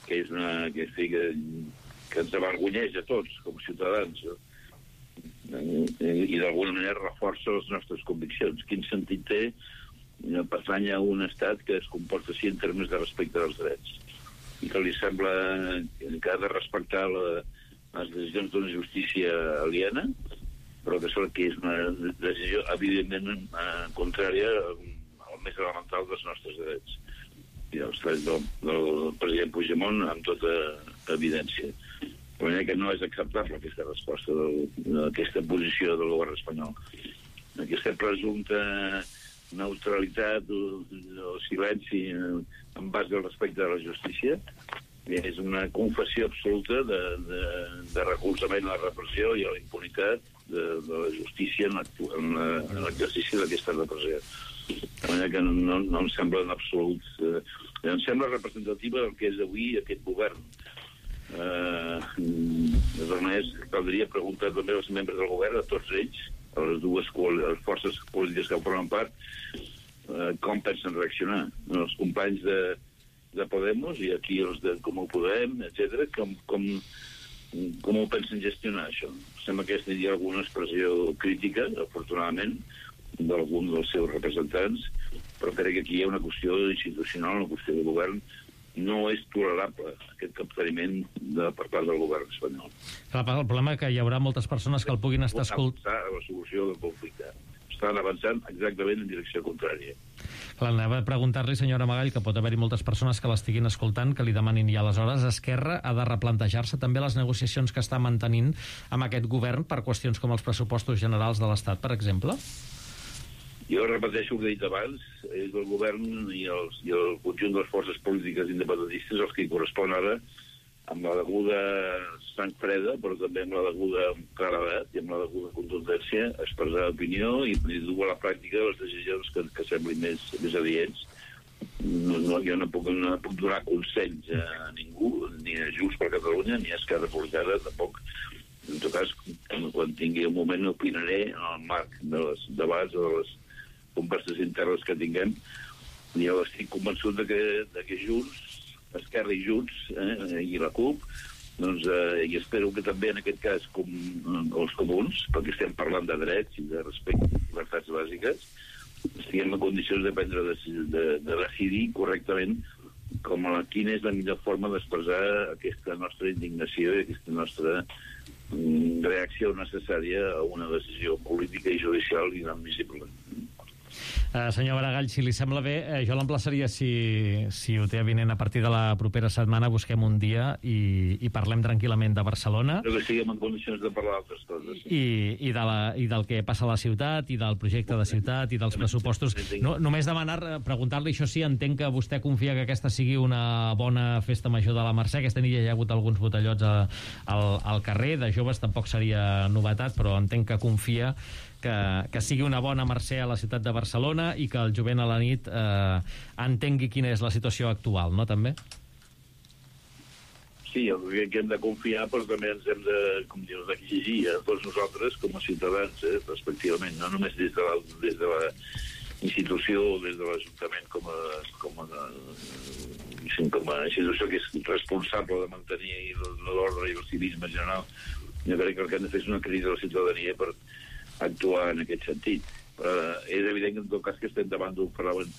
que és una que, que, que ens avergonyeix a tots com a ciutadans, i d'alguna manera reforça les nostres conviccions. Quin sentit té pertany a un estat que es comporta així en termes de respecte dels drets i que li sembla que ha de respectar la, les decisions d'una justícia aliena, però que, que és una decisió evidentment contrària al més elemental dels nostres drets i dels drets del, del president Puigdemont amb tota evidència. De manera que no és acceptable aquesta resposta d'aquesta posició del govern espanyol. Aquesta presumpta neutralitat o, o silenci en base al respecte de la justícia és una confessió absoluta de, de, de recolzament a la repressió i a la impunitat de, de la justícia en l'exercici d'aquesta repressió. De manera que no, no em sembla en absolut... Eh, em sembla representativa del que és avui aquest govern. Uh, de totes maneres, caldria preguntar també als membres del govern, a tots ells, a les dues les forces polítiques que formen part, uh, com pensen reaccionar. Els companys de, de Podemos i aquí els de Comú Podem, etcètera, com, com, Com ho pensen gestionar, això? Sembla que hi ha alguna expressió crítica, afortunadament, d'algun dels seus representants, però crec que aquí hi ha una qüestió institucional, una qüestió de govern. No és tolerable aquest capteniment de, per part del govern espanyol. El problema és que hi haurà moltes persones que el puguin estar escoltant. A la solució del conflicte. Estan avançant exactament en direcció contrària. Clar, anava a preguntar-li, senyora Maragall, que pot haver-hi moltes persones que l'estiguin escoltant, que li demanin, i aleshores Esquerra ha de replantejar-se també les negociacions que està mantenint amb aquest govern per qüestions com els pressupostos generals de l'Estat, per exemple? Jo repeteixo el que he dit abans, és el govern i, els, i el conjunt de les forces polítiques independentistes els que hi correspon ara, amb la deguda sang freda, però també amb la deguda claredat i amb la deguda contundència, expressar opinió i dur a la pràctica les decisions que, que semblin més, més adients. No, no, jo no puc, no puc donar consells a ningú, ni a Junts per Catalunya, ni a Esquerra Republicana, tampoc. En tot cas, quan tingui un moment opinaré en el marc de les debats o de les converses internes que tinguem. Jo estic convençut de que, de que Junts, Esquerra i Junts, eh, i la CUP, doncs, eh, i espero que també en aquest cas com els comuns, perquè estem parlant de drets i de respecte a les llibertats bàsiques, estiguem en condicions de prendre de, de, de decidir correctament com a quina és la millor forma d'expressar aquesta nostra indignació i aquesta nostra mm, reacció necessària a una decisió política i judicial inadmissible. Uh, senyor Maragall, si li sembla bé, eh, jo l'emplaçaria, si, si ho té avinent a partir de la propera setmana, busquem un dia i, i parlem tranquil·lament de Barcelona. Però que siguem en condicions de parlar d'altres coses. Sí. I, i, de la, I del que passa a la ciutat, i del projecte de ciutat, i dels pressupostos. No, només demanar, preguntar-li, això sí, entenc que vostè confia que aquesta sigui una bona festa major de la Mercè. Aquesta nit ja hi ha hagut alguns botellots a, al, al carrer, de joves tampoc seria novetat, però entenc que confia que, que sigui una bona Mercè a la ciutat de Barcelona i que el jovent a la nit eh, entengui quina és la situació actual, no, també? Sí, jo crec que hem de confiar, però també ens hem de, com dius, d'exigir a tots nosaltres com a ciutadans, eh, respectivament, no només des de la, des de la institució, des de l'Ajuntament com a, com a, com a institució que és responsable de mantenir l'ordre i el civisme general. Jo crec que el que hem de fer és una crida a la ciutadania per actuar en aquest sentit. Però és evident que en tot cas que estem davant d'un fenomen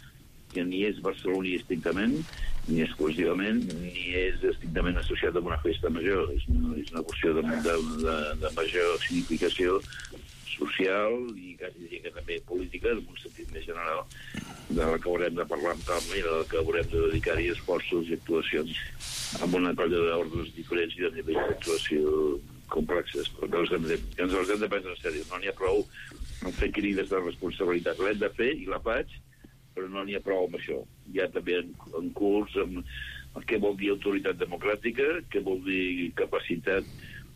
que ni és barceloní estrictament, ni exclusivament, ni és estrictament associat amb una festa major. És una, és una qüestió de, de, de, de major significació social i quasi diria que també política, en un sentit més general, de la que haurem de parlar amb calma i de la que haurem de dedicar-hi esforços i actuacions amb una colla d'ordres diferents i de nivells d'actuació complexes, perquè els hem de, ens els hem de prendre en sèrio. No n'hi ha prou en fer crides de responsabilitat. L'hem de fer i la faig, però no n'hi ha prou amb això. Hi ha també en, en curs amb què vol dir autoritat democràtica, què vol dir capacitat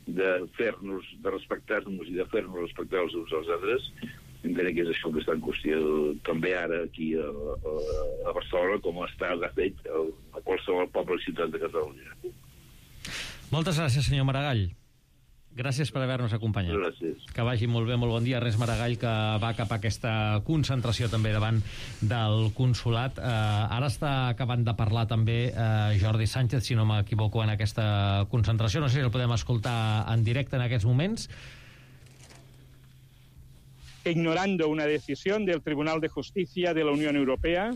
de fer-nos, de respectar-nos i de fer-nos respectar els uns als altres. Encara que és això que està en qüestió també ara aquí a, a, a Barcelona, com està, de fet, a qualsevol poble i ciutat de Catalunya. Moltes gràcies, senyor Maragall. Gràcies per haver-nos acompanyat. Gràcies. Que vagi molt bé, molt bon dia. Res Maragall, que va cap a aquesta concentració també davant del consulat. Eh, ara està acabant de parlar també eh, Jordi Sánchez, si no m'equivoco, en aquesta concentració. No sé si el podem escoltar en directe en aquests moments. Ignorando una decisión del Tribunal de Justicia de la Unión Europea,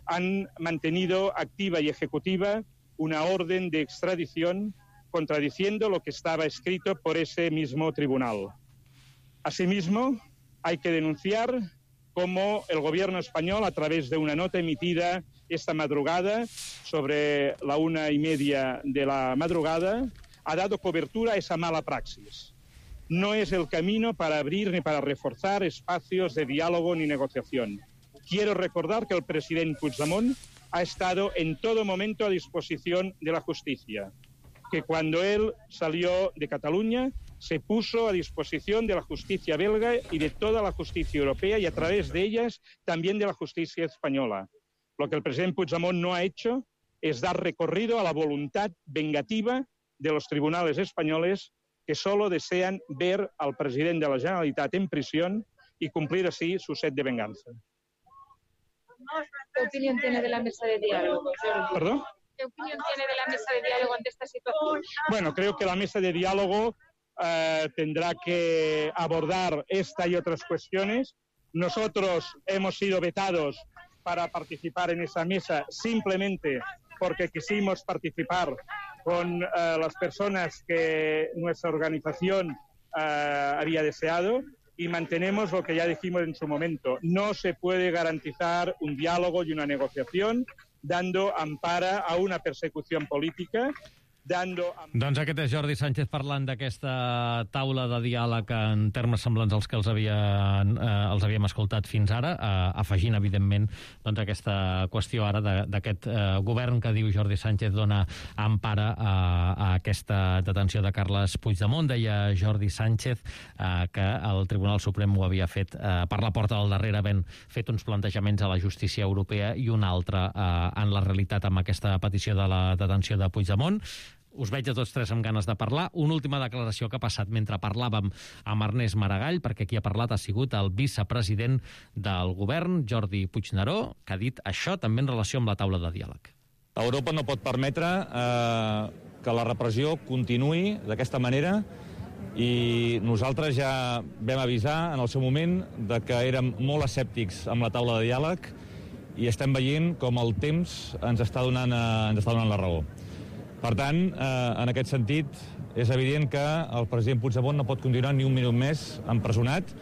han mantenido activa y ejecutiva una orden de extradición contradiciendo lo que estaba escrito por ese mismo tribunal. Asimismo, hay que denunciar cómo el gobierno español, a través de una nota emitida esta madrugada, sobre la una y media de la madrugada, ha dado cobertura a esa mala praxis. No es el camino para abrir ni para reforzar espacios de diálogo ni negociación. Quiero recordar que el presidente Puigdemont ha estado en todo momento a disposición de la justicia, que cuando él salió de Cataluña se puso a disposición de la justicia belga y de toda la justicia europea y a través de ellas también de la justicia española. Lo que el presidente Puigdemont no ha hecho es dar recorrido a la voluntad vengativa de los tribunales españoles que solo desean ver al presidente de la Generalitat en prisión y cumplir así su sed de venganza. ¿Qué opinión tiene de la mesa de diálogo, Jordi? ¿Perdón? ¿Qué opinión tiene de la mesa de diálogo ante esta situación? Bueno, creo que la mesa de diálogo eh, tendrá que abordar esta y otras cuestiones. Nosotros hemos sido vetados para participar en esa mesa simplemente porque quisimos participar con eh, las personas que nuestra organización eh, había deseado, y mantenemos lo que ya dijimos en su momento. No se puede garantizar un diálogo y una negociación dando ampara a una persecución política, dando... Doncs aquest és Jordi Sánchez parlant d'aquesta taula de diàleg en termes semblants als que els, havia, eh, els havíem escoltat fins ara, eh, afegint, evidentment, doncs, aquesta qüestió ara d'aquest eh, govern que diu Jordi Sánchez dona empara a, a aquesta detenció de Carles Puigdemont. Deia Jordi Sánchez eh, que el Tribunal Suprem ho havia fet eh, per la porta del darrere, havent fet uns plantejaments a la justícia europea i un altre eh, en la realitat amb aquesta petició de la detenció de Puigdemont. Us veig a tots tres amb ganes de parlar. Una última declaració que ha passat mentre parlàvem amb Ernest Maragall, perquè qui ha parlat ha sigut el vicepresident del govern, Jordi Puigneró, que ha dit això també en relació amb la taula de diàleg. Europa no pot permetre eh, que la repressió continuï d'aquesta manera, i nosaltres ja vam avisar en el seu moment de que érem molt escèptics amb la taula de diàleg i estem veient com el temps ens està donant, eh, ens està donant la raó. Per tant, eh, en aquest sentit, és evident que el president Puigdemont no pot continuar ni un minut més empresonat,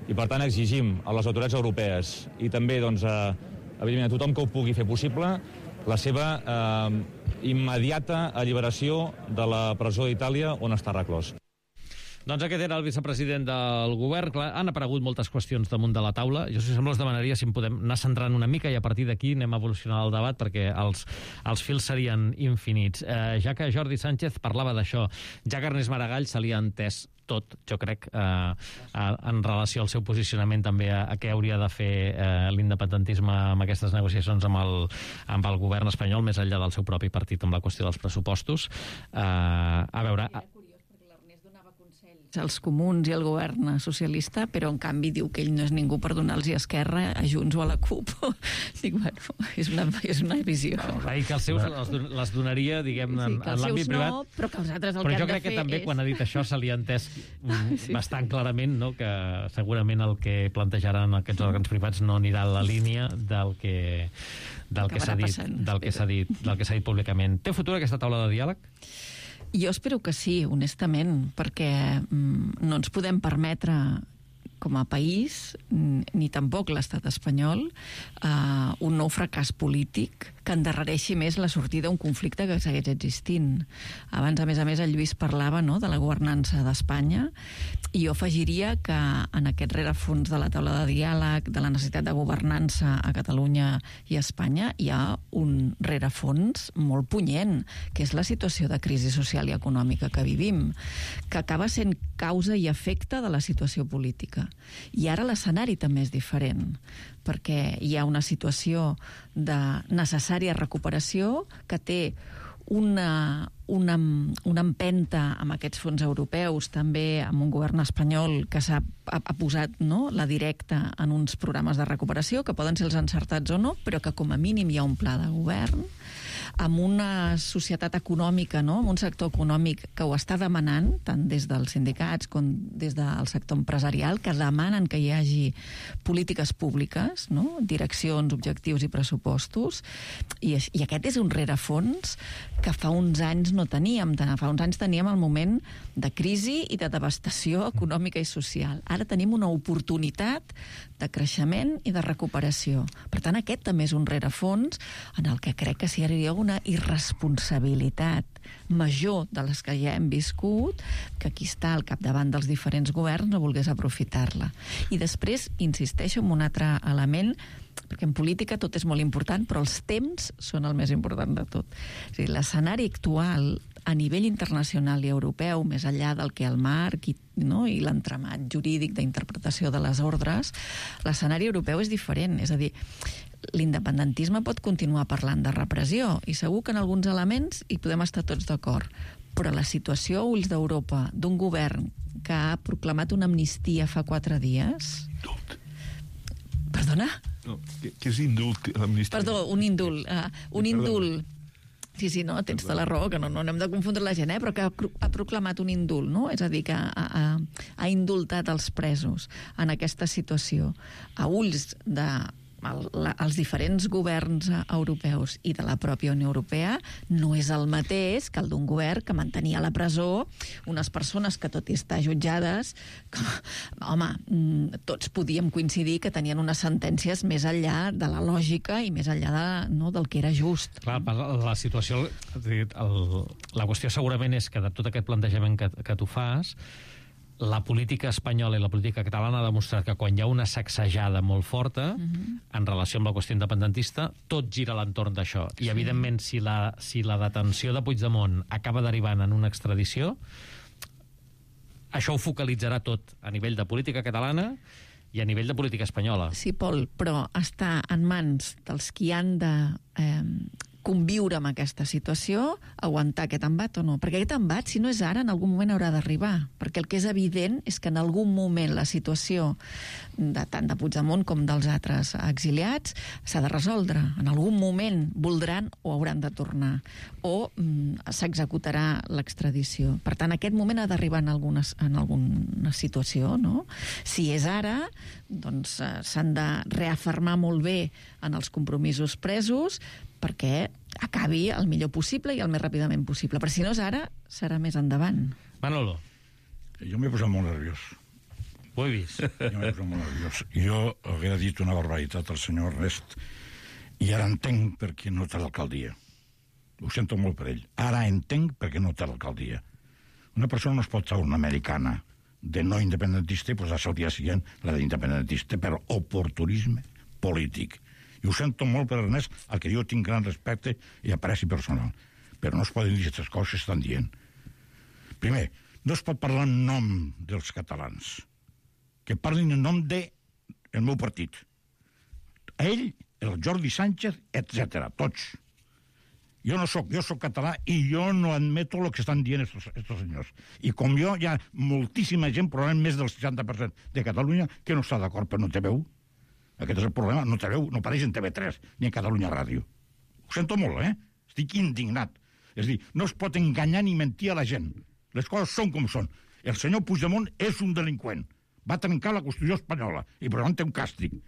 i per tant exigim a les autoritats europees i també doncs, a, evidentment, a tothom que ho pugui fer possible la seva eh, immediata alliberació de la presó d'Itàlia on està reclòs. Doncs aquest era el vicepresident del govern. Clar, han aparegut moltes qüestions damunt de la taula. Jo, si sembla, us demanaria si em podem anar centrant una mica i a partir d'aquí anem a evolucionar el debat perquè els, els fils serien infinits. Eh, ja que Jordi Sánchez parlava d'això, ja que Ernest Maragall se li ha entès tot, jo crec, eh, en relació al seu posicionament també a, a què hauria de fer eh, l'independentisme amb aquestes negociacions amb el, amb el govern espanyol, més enllà del seu propi partit amb la qüestió dels pressupostos. Eh, a veure... els comuns i el govern socialista, però en canvi diu que ell no és ningú per donar-los a Esquerra, a Junts o a la CUP. Dic, bueno, és una, és una visió. Va dir que els seus les, les donaria, diguem, sí, en, en l'àmbit privat. No, però que els altres el però que jo crec que també és... quan ha dit això se li ha entès sí, bastant clarament, no?, que segurament el que plantejaran aquests òrgans privats no anirà a la línia del que, del que s'ha dit, del que s'ha dit, del que s'ha dit públicament. Té futur aquesta taula de diàleg? Jo espero que sí, honestament, perquè mm, no ens podem permetre com a país, ni tampoc l'estat espanyol, eh, un nou fracàs polític que endarrereixi més la sortida d'un conflicte que segueix existint. Abans, a més a més, el Lluís parlava, no?, de la governança d'Espanya, i jo afegiria que en aquest rerefons de la taula de diàleg, de la necessitat de governança a Catalunya i a Espanya, hi ha un rerefons molt punyent, que és la situació de crisi social i econòmica que vivim, que acaba sent causa i efecte de la situació política. I ara l'escenari també és diferent, perquè hi ha una situació de necessària recuperació que té una, una, una empenta amb aquests fons europeus, també amb un govern espanyol que s'ha ha, ha posat, no?, la directa en uns programes de recuperació, que poden ser els encertats o no, però que com a mínim hi ha un pla de govern, amb una societat econòmica, no?, amb un sector econòmic que ho està demanant, tant des dels sindicats com des del sector empresarial, que demanen que hi hagi polítiques públiques, no?, direccions, objectius i pressupostos, i, i aquest és un rerefons que fa uns anys no teníem. Fa uns anys teníem el moment de crisi i de devastació econòmica i social. Ara tenim una oportunitat de creixement i de recuperació. Per tant, aquest també és un rerefons en el que crec que s'hi hauria una irresponsabilitat major de les que ja hem viscut, que qui està al capdavant dels diferents governs no volgués aprofitar-la. I després, insisteixo en un altre element, perquè en política tot és molt important, però els temps són el més important de tot. És a dir, l'escenari actual a nivell internacional i europeu, més enllà del que el marc i, no, i l'entramat jurídic d'interpretació de les ordres, l'escenari europeu és diferent. És a dir, l'independentisme pot continuar parlant de repressió i segur que en alguns elements hi podem estar tots d'acord, però la situació a ulls d'Europa d'un govern que ha proclamat una amnistia fa quatre dies... Indult. Perdona? No, què és indult? Perdó, un indult. Uh, un indult Sí, sí, no, tens tota la raó, que no, no hem de confondre la gent, eh? Però que ha, ha proclamat un indult, no? És a dir, que ha, ha, ha indultat els presos en aquesta situació. A ulls de el, la, els diferents governs europeus i de la pròpia Unió Europea no és el mateix que el d'un govern que mantenia a la presó unes persones que, tot i estar jutjades, que, home, tots podíem coincidir que tenien unes sentències més enllà de la lògica i més enllà de, no, del que era just. Clar, la situació, el, la qüestió segurament és que de tot aquest plantejament que, que tu fas, la política espanyola i la política catalana ha demostrat que quan hi ha una sacsejada molt forta uh-huh. en relació amb la qüestió independentista, tot gira a l'entorn d'això. I, evidentment, si la, si la detenció de Puigdemont acaba derivant en una extradició, això ho focalitzarà tot a nivell de política catalana i a nivell de política espanyola. Sí, Pol, però està en mans dels qui han de eh, conviure amb aquesta situació, aguantar aquest embat o no. Perquè aquest embat, si no és ara, en algun moment haurà d'arribar. Perquè el que és evident és que en algun moment la situació de tant de Puigdemont com dels altres exiliats s'ha de resoldre. En algun moment voldran o hauran de tornar. O mm, s'executarà l'extradició. Per tant, aquest moment ha d'arribar en, algunes, en alguna situació, no? Si és ara, doncs eh, s'han de reafirmar molt bé en els compromisos presos perquè acabi el millor possible i el més ràpidament possible. Però si no és ara, serà més endavant. Manolo. Jo m'he posat molt nerviós. Ho he vist. Jo m'he posat molt nerviós. Jo hauria dit una barbaritat al senyor Ernest i ara entenc per què no té l'alcaldia. Ho sento molt per ell. Ara entenc per què no té l'alcaldia. Una persona no es pot treure una americana de no independentista i posar-se al dia següent la d'independentista per oportunisme polític. I ho sento molt per Ernest, al que jo tinc gran respecte i apreci personal. Però no es poden dir aquestes coses que estan dient. Primer, no es pot parlar en nom dels catalans. Que parlin en nom del de meu partit. Ell, el Jordi Sánchez, etcètera, tots. Jo no soc, jo soc català i jo no admeto el que estan dient estos, estos senyors. I com jo, hi ha moltíssima gent, probablement més del seixanta per cent de Catalunya, que no està d'acord, però no té veu. Aquest és el problema, no té veu, no apareix en T V tres ni en Catalunya Ràdio. Ho sento molt, eh? Estic indignat. És a dir, no es pot enganyar ni mentir a la gent. Les coses són com són. El senyor Puigdemont és un delinqüent. Va trencar la Constitució espanyola i per tant té un càstig.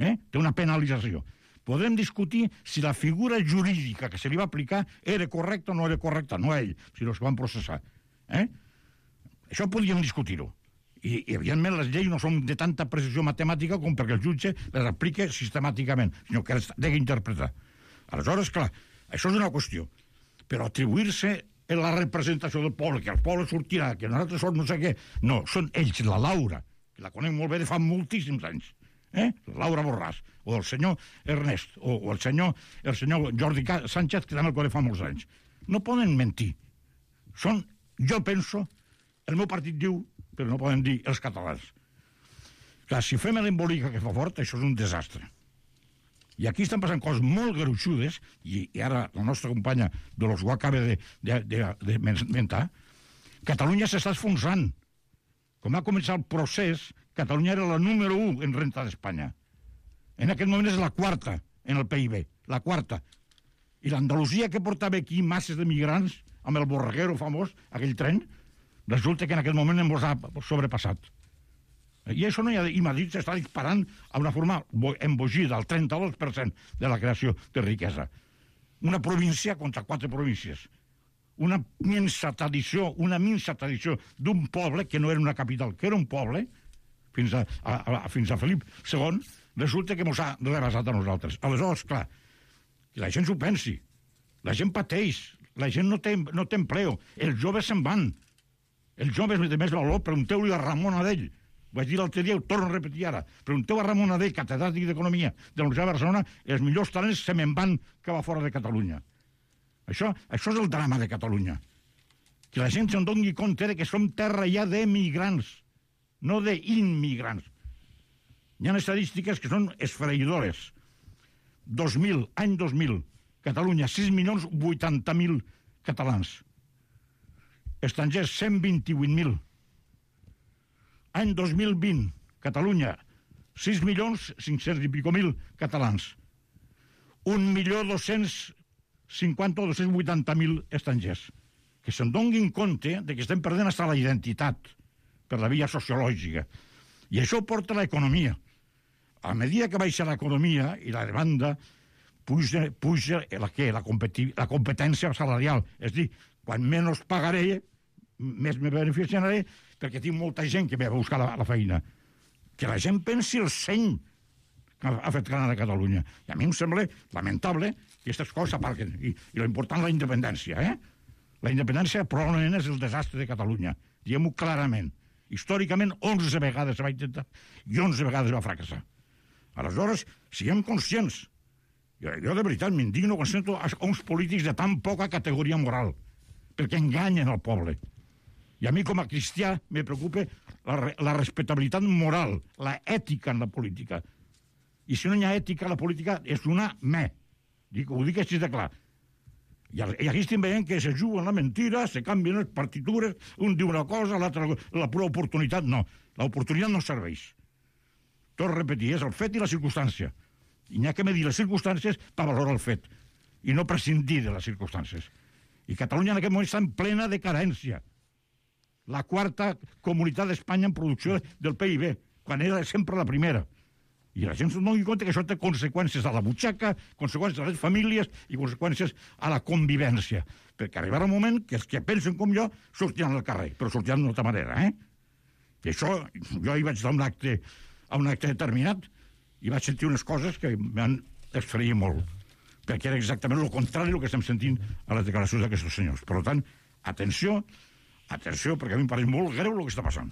Eh? Té una penalització. Podem discutir si la figura jurídica que se li va aplicar era correcta o no era correcta, no ell, sinó els que van processar. Eh? Això podríem discutir-ho. I, i, evidentment, les lleis no són de tanta precisió matemàtica com perquè el jutge les aplique sistemàticament, sinó que les ha d'interpretar. Aleshores, clar, això és una qüestió. Però atribuir-se en la representació del poble, que el poble sortirà, que nosaltres som no sé què... No, són ells, la Laura, que la conec molt bé de fa moltíssims anys, eh? La Laura Borràs, o el senyor Ernest, o, o el senyor el senyor Jordi Sánchez, que també el conec fa molts anys. No poden mentir. Són, jo penso, el meu partit diu, però no poden dir els catalans. Clar, si fem l'embolica que fa fort, això és un desastre. I aquí estan passant coses molt gruixudes, i, i ara la nostra companya de los ho acaba de, de, de, de mentar, Catalunya s'està esfonsant. Com va començar el procés, Catalunya era la número u en renta d'Espanya. En aquest moment és la quarta en el P I B, la quarta. I l'Andalusia, que portava aquí masses de migrants, amb el Borreguero famós, aquell tren, resulta que en aquest moment hem sobrepassat. I això no hi ha... I Madrid s'està disparant a una forma embogida, al trenta-dos per cent de la creació de riquesa. Una província contra quatre províncies. Una minsa tradició, una minsa tradició d'un poble que no era una capital, que era un poble, fins a, a, a, fins a Felip segon, resulta que ens ha rebasat a nosaltres. Aleshores, clar, que la gent s'ho pensi. La gent pateix. La gent no té, no té empleo. Els joves se'n van. Els joves de més valor, pregunteu-li a Ramon Adell. Ho vaig dir l'altre dia, ho torno a repetir ara. Pregunteu a Ramon Adell, catedràtic d'Economia de la Universitat de Barcelona, els millors talents se me'n van cap a fora de Catalunya. Això, això és el drama de Catalunya. Que la gent se'n doni compte que som terra ja d'emigrants, no d'immigrants. Hi ha estadístiques que són esfereïdores. dos mil, any dos mil, Catalunya, sis milions vuitanta mil catalans. Estrangers, cent vint-i-vuit mil. Any dos mil vint, Catalunya, sis milions cinc-cents i pico mil catalans. Un milió dos-cents cinquanta o dos-cents vuitanta mil estrangers. Que se'n donguin compte de que estem perdent hasta la identitat per la via sociològica. I això porta a l'economia. A mesura que baixa l'economia i la demanda, puja, puja la, què? La, competi- la competència salarial. És a dir, quan menys pagaré, més me beneficiaré, perquè tinc molta gent que ve a buscar la, la feina. Que la gent pensi el seny que ha fet gran a Catalunya. I a mi em sembla lamentable que aquestes coses s'aparquen. I, i l'important la independència, eh? La independència probablement és el desastre de Catalunya. Diguem-ho clarament. Històricament, onze vegades va intentar i onze vegades va fracassar. Aleshores, siguem conscients. Jo, jo de veritat m'indigno quan sento a uns polítics de tan poca categoria moral, perquè enganyen el poble. I a mi, com a cristià, me preocupa la, la respectabilitat moral, la ètica en la política. I si no hi ha ètica, la política és una me. Dic, ho dic així de clar. I aquí estem veient que se juguen la mentira, se canvien les partitures, un diu una cosa, l'altre la pura oportunitat. No, l'oportunitat no serveix. Tot repetir, és el fet i la circumstància. I n'hi ha que medir les circumstàncies per valorar el fet, i no prescindir de les circumstàncies. I Catalunya en aquest moment està en plena decadència. La quarta comunitat d'Espanya en producció del P I B, quan era sempre la primera. I la gent no doni compte que això té conseqüències a la butxaca, conseqüències a les famílies i conseqüències a la convivència. Perquè arribarà un moment que els que pensen com jo sortiran al carrer, però sortiran d'una altra manera, eh? I això, jo hi vaig estar a un acte, a un acte determinat i vaig sentir unes coses que m'han esferit molt, perquè era exactament el contrari del que estem sentint a les declaracions d'aquests senyors. Per tant, atenció, atenció, perquè a mi em pareix molt greu el que està passant.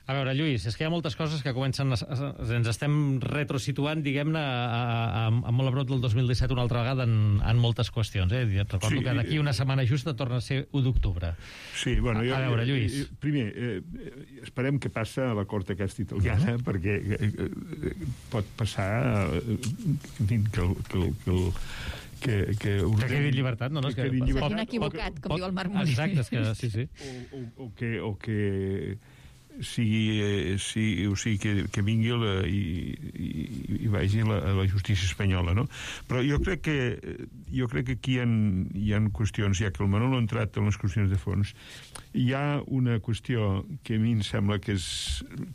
A veure, Lluís, és que hi ha moltes coses que comencen... A, a, ens estem retrosituant, diguem-ne, a, a, a molt a prop del dos mil disset una altra vegada en, en moltes qüestions. Eh? Recordo sí, que d'aquí una setmana justa torna a ser u d'octubre. Sí, bueno... Jo, a veure, Lluís... Eh, primer, eh, esperem que passa a la cort aquesta italiana, uh-huh. perquè eh, pot passar eh, que, que, que, que que, que, que quedi llibertat, no? no que, que s'hagin equivocat, com pot, diu el Marc Molí. Exacte, és que sí, sí. O, o, o que... O que sigui, eh, sigui, o sigui que, que vingui la, i, i, i vagi la, la justícia espanyola, no? Però jo crec que jo crec que aquí hi ha, hi ha qüestions, ja que el Manolo ha entrat en les qüestions de fons, hi ha una qüestió que a mi em sembla que és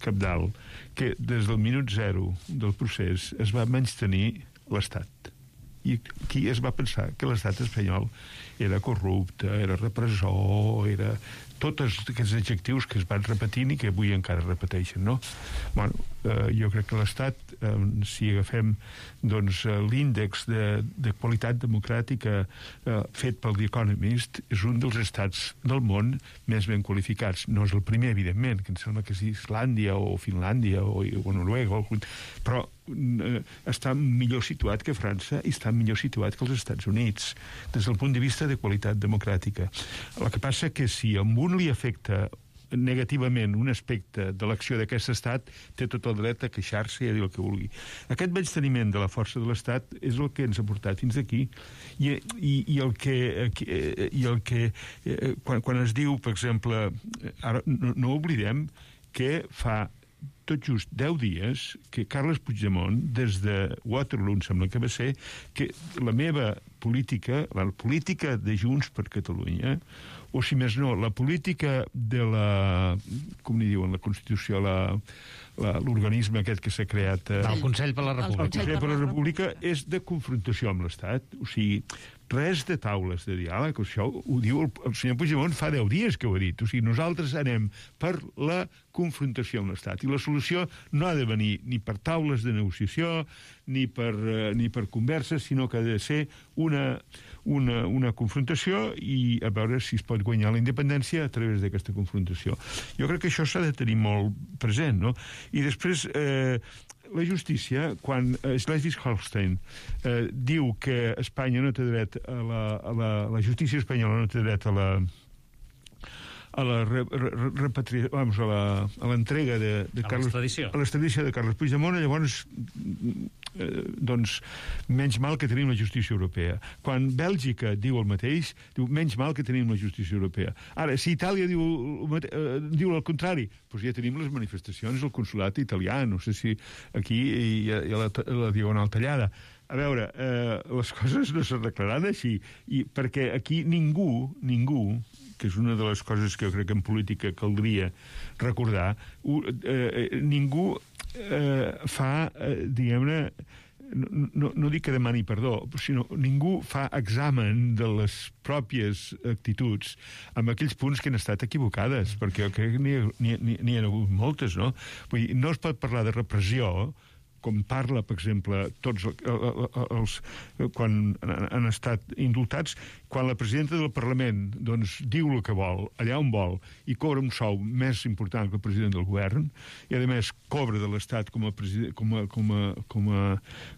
cabdal, que des del minut zero del procés es va menystenir l'Estat. I aquí es va pensar que l'estat espanyol era corrupte, era repressor, era... tots aquests adjectius que es van repetint i que avui encara es repeteixen, no? Bueno, eh, jo crec que l'Estat, eh, si agafem doncs, l'índex de, de qualitat democràtica eh, fet pel The Economist, és un dels estats del món més ben qualificats. No és el primer, evidentment, que em sembla que és Islàndia o Finlàndia o, o Noruega, o, però eh, està millor situat que França i està millor situat que els Estats Units, des del punt de vista de qualitat democràtica. El que passa que si amb un li afecta negativament un aspecte de l'acció d'aquest estat, té tot el dret a queixar-se i a dir el que vulgui. Aquest menysteniment de la força de l'estat és el que ens ha portat fins aquí. I, i, i el que, i el que quan, quan es diu, per exemple, ara no, no oblidem que fa tot just deu dies que Carles Puigdemont, des de Waterloo, em sembla que va ser, que la meva política, la política de Junts per Catalunya, o si més no, la política de la... com n'hi diuen, la Constitució, la... l'organisme aquest que s'ha creat... Eh, el Consell per la República. El Consell per la República és de confrontació amb l'Estat. O sigui, res de taules de diàleg. Això ho diu el, el senyor Puigdemont fa deu dies que ho ha dit. O sigui, nosaltres anem per la confrontació amb l'Estat. I la solució no ha de venir ni per taules de negociació, ni per, eh, ni per converses, sinó que ha de ser una, una, una confrontació i a veure si es pot guanyar la independència a través d'aquesta confrontació. Jo crec que això s'ha de tenir molt present, no? I després, eh, la justícia, quan Schleswig-Holstein eh, diu que Espanya no té dret a la, a la, la justícia espanyola no té dret a la a la re, re, repatria, vamos, a la a l'entrega de, de a Carles, l'extradició. a l'extradició de Carles Puigdemont, llavors eh, doncs menys mal que tenim la justícia europea. Quan Bèlgica diu el mateix, diu menys mal que tenim la justícia europea. Ara, si Itàlia diu, eh, diu el contrari, doncs ja tenim les manifestacions al consulat italià, no sé si aquí hi ha, hi ha la, la diagonal tallada. a veure, eh, les coses no s'arreglaran així, i perquè aquí ningú, ningú, que és una de les coses que jo crec que en política caldria recordar, eh, ningú eh, fa, eh, diguem-ne, no, no, no dic que demani perdó, sinó ningú fa examen de les pròpies actituds amb aquells punts que han estat equivocades, perquè jo crec que n'hi ha hagut moltes, no? Vull dir, no es pot parlar de repressió com parla, per exemple, tots els, quan han estat indultats, quan la presidenta del Parlament doncs, diu el que vol, allà on vol, i cobra un sou més important que el president del govern, i a més cobra de l'Estat com a, com a, com a, com a,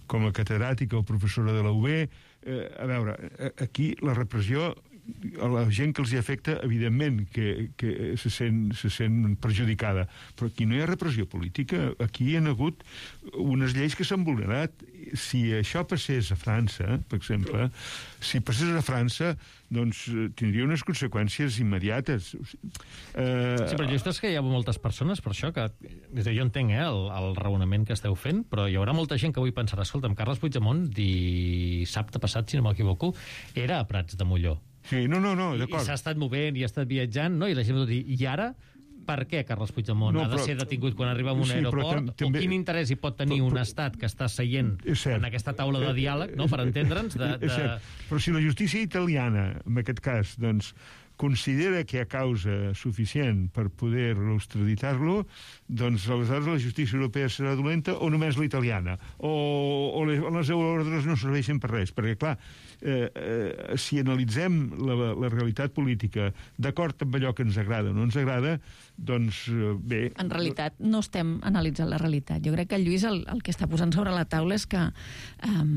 com a catedràtica o professora de la U B, eh, a veure, aquí la repressió, a la gent que els hi afecta, evidentment que, que se, sent, se sent perjudicada, però aquí no hi ha repressió política, aquí hi ha hagut unes lleis que s'han vulnerat. Si això passés a França, per exemple, si passés a França, doncs tindria unes conseqüències immediates. Eh... Sí, però just és que hi ha moltes persones, per això, que jo entenc eh, el, el raonament que esteu fent, però hi haurà molta gent que avui pensarà, escolta'm, Carles Puigdemont, dissabte passat, si no m'equivoco, era a Prats de Molló. Sí, no, no, no, d'acord. I s'ha estat movent i ha estat viatjant, no? I la gent va dir, i ara, per què Carles Puigdemont no, ha de però, ser detingut quan arriba a un sí, aeroport? També, o quin interès hi pot tenir però, però, un estat que està seient en aquesta taula de diàleg, no?, per entendre'ns? De, de... Però si la justícia italiana, en aquest cas, doncs, considera que hi ha causa suficient per poder extraditar-lo, doncs aleshores la justícia europea serà dolenta o només la italiana, o, o les, les euroordres no serveixen per res, perquè clar, eh, eh, si analitzem la, la realitat política d'acord amb allò que ens agrada o no ens agrada, doncs eh, bé... En realitat no estem analitzant la realitat. Jo crec que el Lluís el, el que està posant sobre la taula és que um,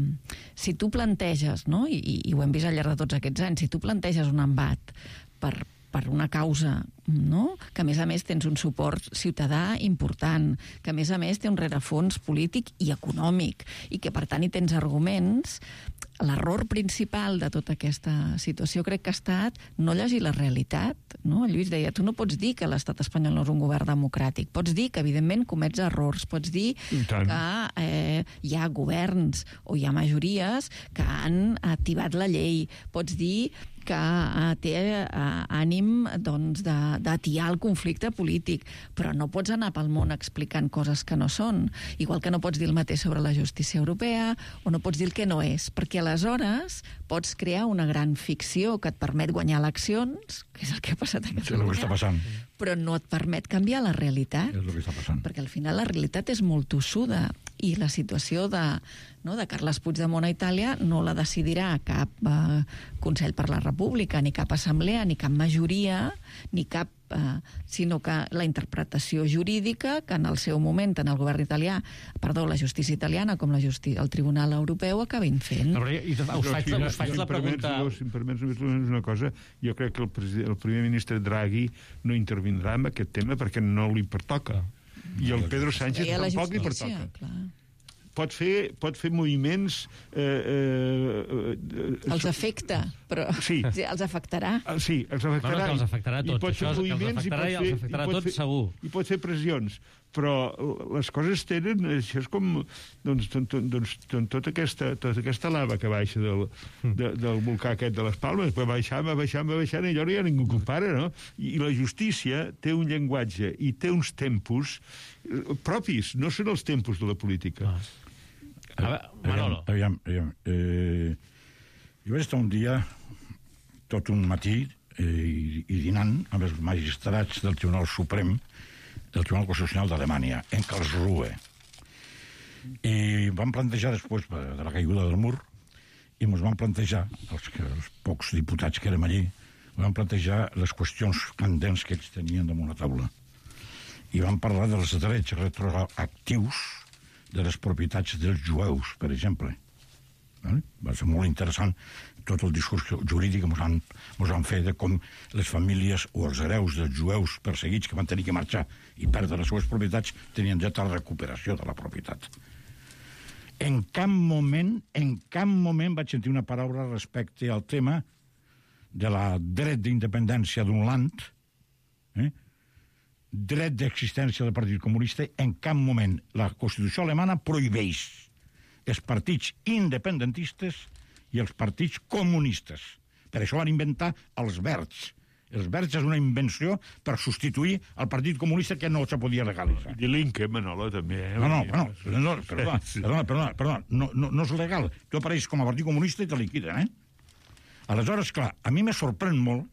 si tu planteges, no? I, i ho hem vist al llarg de tots aquests anys, si tu planteges un embat per, per una causa, no?, que a més a més tens un suport ciutadà important, que a més a més té un rerefons polític i econòmic, i que per tant hi tens arguments, l'error principal de tota aquesta situació crec que ha estat no llegir la realitat, no? El Lluís deia, tu no pots dir que l'estat espanyol no és un govern democràtic, pots dir que evidentment comets errors, pots dir que eh, hi ha governs o hi ha majories que han activat la llei, pots dir que eh, té eh, ànim doncs, d'atiar el conflicte polític, però no pots anar pel món explicant coses que no són, igual que no pots dir el mateix sobre la justícia europea o no pots dir el que no és, perquè aleshores pots crear una gran ficció que et permet guanyar eleccions, que és el que ha passat a Catalunya, sí, el que està passant, però no et permet canviar la realitat, és el que està passant, perquè al final la realitat és molt tossuda i la situació de, no, de Carles Puigdemont a Itàlia no la decidirà cap eh, Consell per la República, ni cap assemblea, ni cap majoria, ni cap eh, sinó que la interpretació jurídica que en el seu moment, en el govern italià, perdó, la justícia italiana com la justi el Tribunal Europeu acabin fent. No, i us faig, us faig, us faig la pregunta... Si em permets només una cosa, jo crec que el, el primer ministre Draghi no intervindrà en aquest tema perquè no li pertoca. I el Pedro Sánchez tampoc li pertoca. Clar. Pot fer, pot fer moviments... Eh, eh, eh, els afecta, però sí. Sí, els afectarà. Sí, els afectarà. Bueno, que els afectarà a tots. I pot fer Això moviments que els afectarà i, els afectarà a tots, fer, segur. I pot fer pressions. Però les coses tenen... Això és com doncs, doncs, doncs, tota, aquesta, tota aquesta lava que baixa del, de, del volcà aquest de les Palmes, va baixant, va baixant, va baixant, i allò ja ningú compara, no? I, I la justícia té un llenguatge i té uns tempos propis, no són els tempos de la política. Ah. A veure, Manolo. Aviam, aviam. Eh, jo vaig estar un dia, tot un matí, eh, i, i dinant amb els magistrats del Tribunal Suprem, del Tribunal Constitucional d'Alemanya, en Karlsruhe. I vam plantejar, després de la caiguda del mur, i ens vam plantejar, els, els pocs diputats que érem allí, vam plantejar les qüestions candents que ells tenien damunt la taula. I vam parlar dels drets retroactius de les propietats dels jueus, per exemple. Va ser molt interessant tot el discurs jurídic que ens han, han fet de com les famílies o els hereus dels jueus perseguits que van tenir que marxar i perdre les seves propietats tenien dret a la recuperació de la propietat. En cap moment, en cap moment vaig sentir una paraula respecte al tema de la dret d'independència d'un land, eh? dret d'existència del Partit Comunista. En cap moment la Constitució alemana prohibeix els partits independentistes i els partits comunistes. Per això van inventar els verds. Els verds és una invenció per substituir el Partit Comunista que no se podia legalitzar. I l'Inca, Manolo, també. Eh? No, no, no, no, perdona, perdona, perdona, perdona. No, no, no és legal. Tu apareixes com a Partit Comunista i te liquiden, eh? Aleshores, clar, a mi me sorprèn molt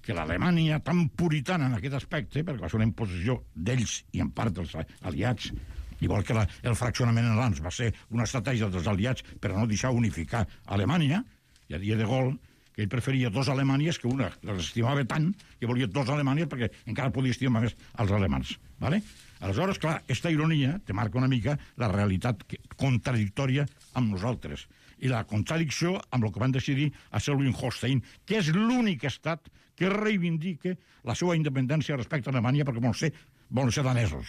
que l'Alemanya, tan puritana en aquest aspecte, perquè va ser una imposició d'ells i en part dels aliats, igual que la, el fraccionament en l'A N S va ser una estratègia dels aliats per no deixar unificar Alemanya, i a dia de gol, que ell preferia dos Alemanyes, que una les estimava tant que volia dos Alemanyes perquè encara podia estimar més els alemans. ¿Vale? Aleshores, clar, aquesta ironia te marca una mica la realitat contradictòria amb nosaltres i la contradicció amb el que van decidir a Schleswig-Holstein, que és l'únic estat que reivindica la seva independència respecte a Alemanya perquè volen ser, volen ser danesos.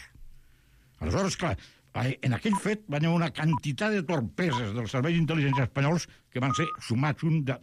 Aleshores, clar, en aquell fet van haver una quantitat de torpeses dels serveis d'intel·ligència espanyols que van ser sumats un de,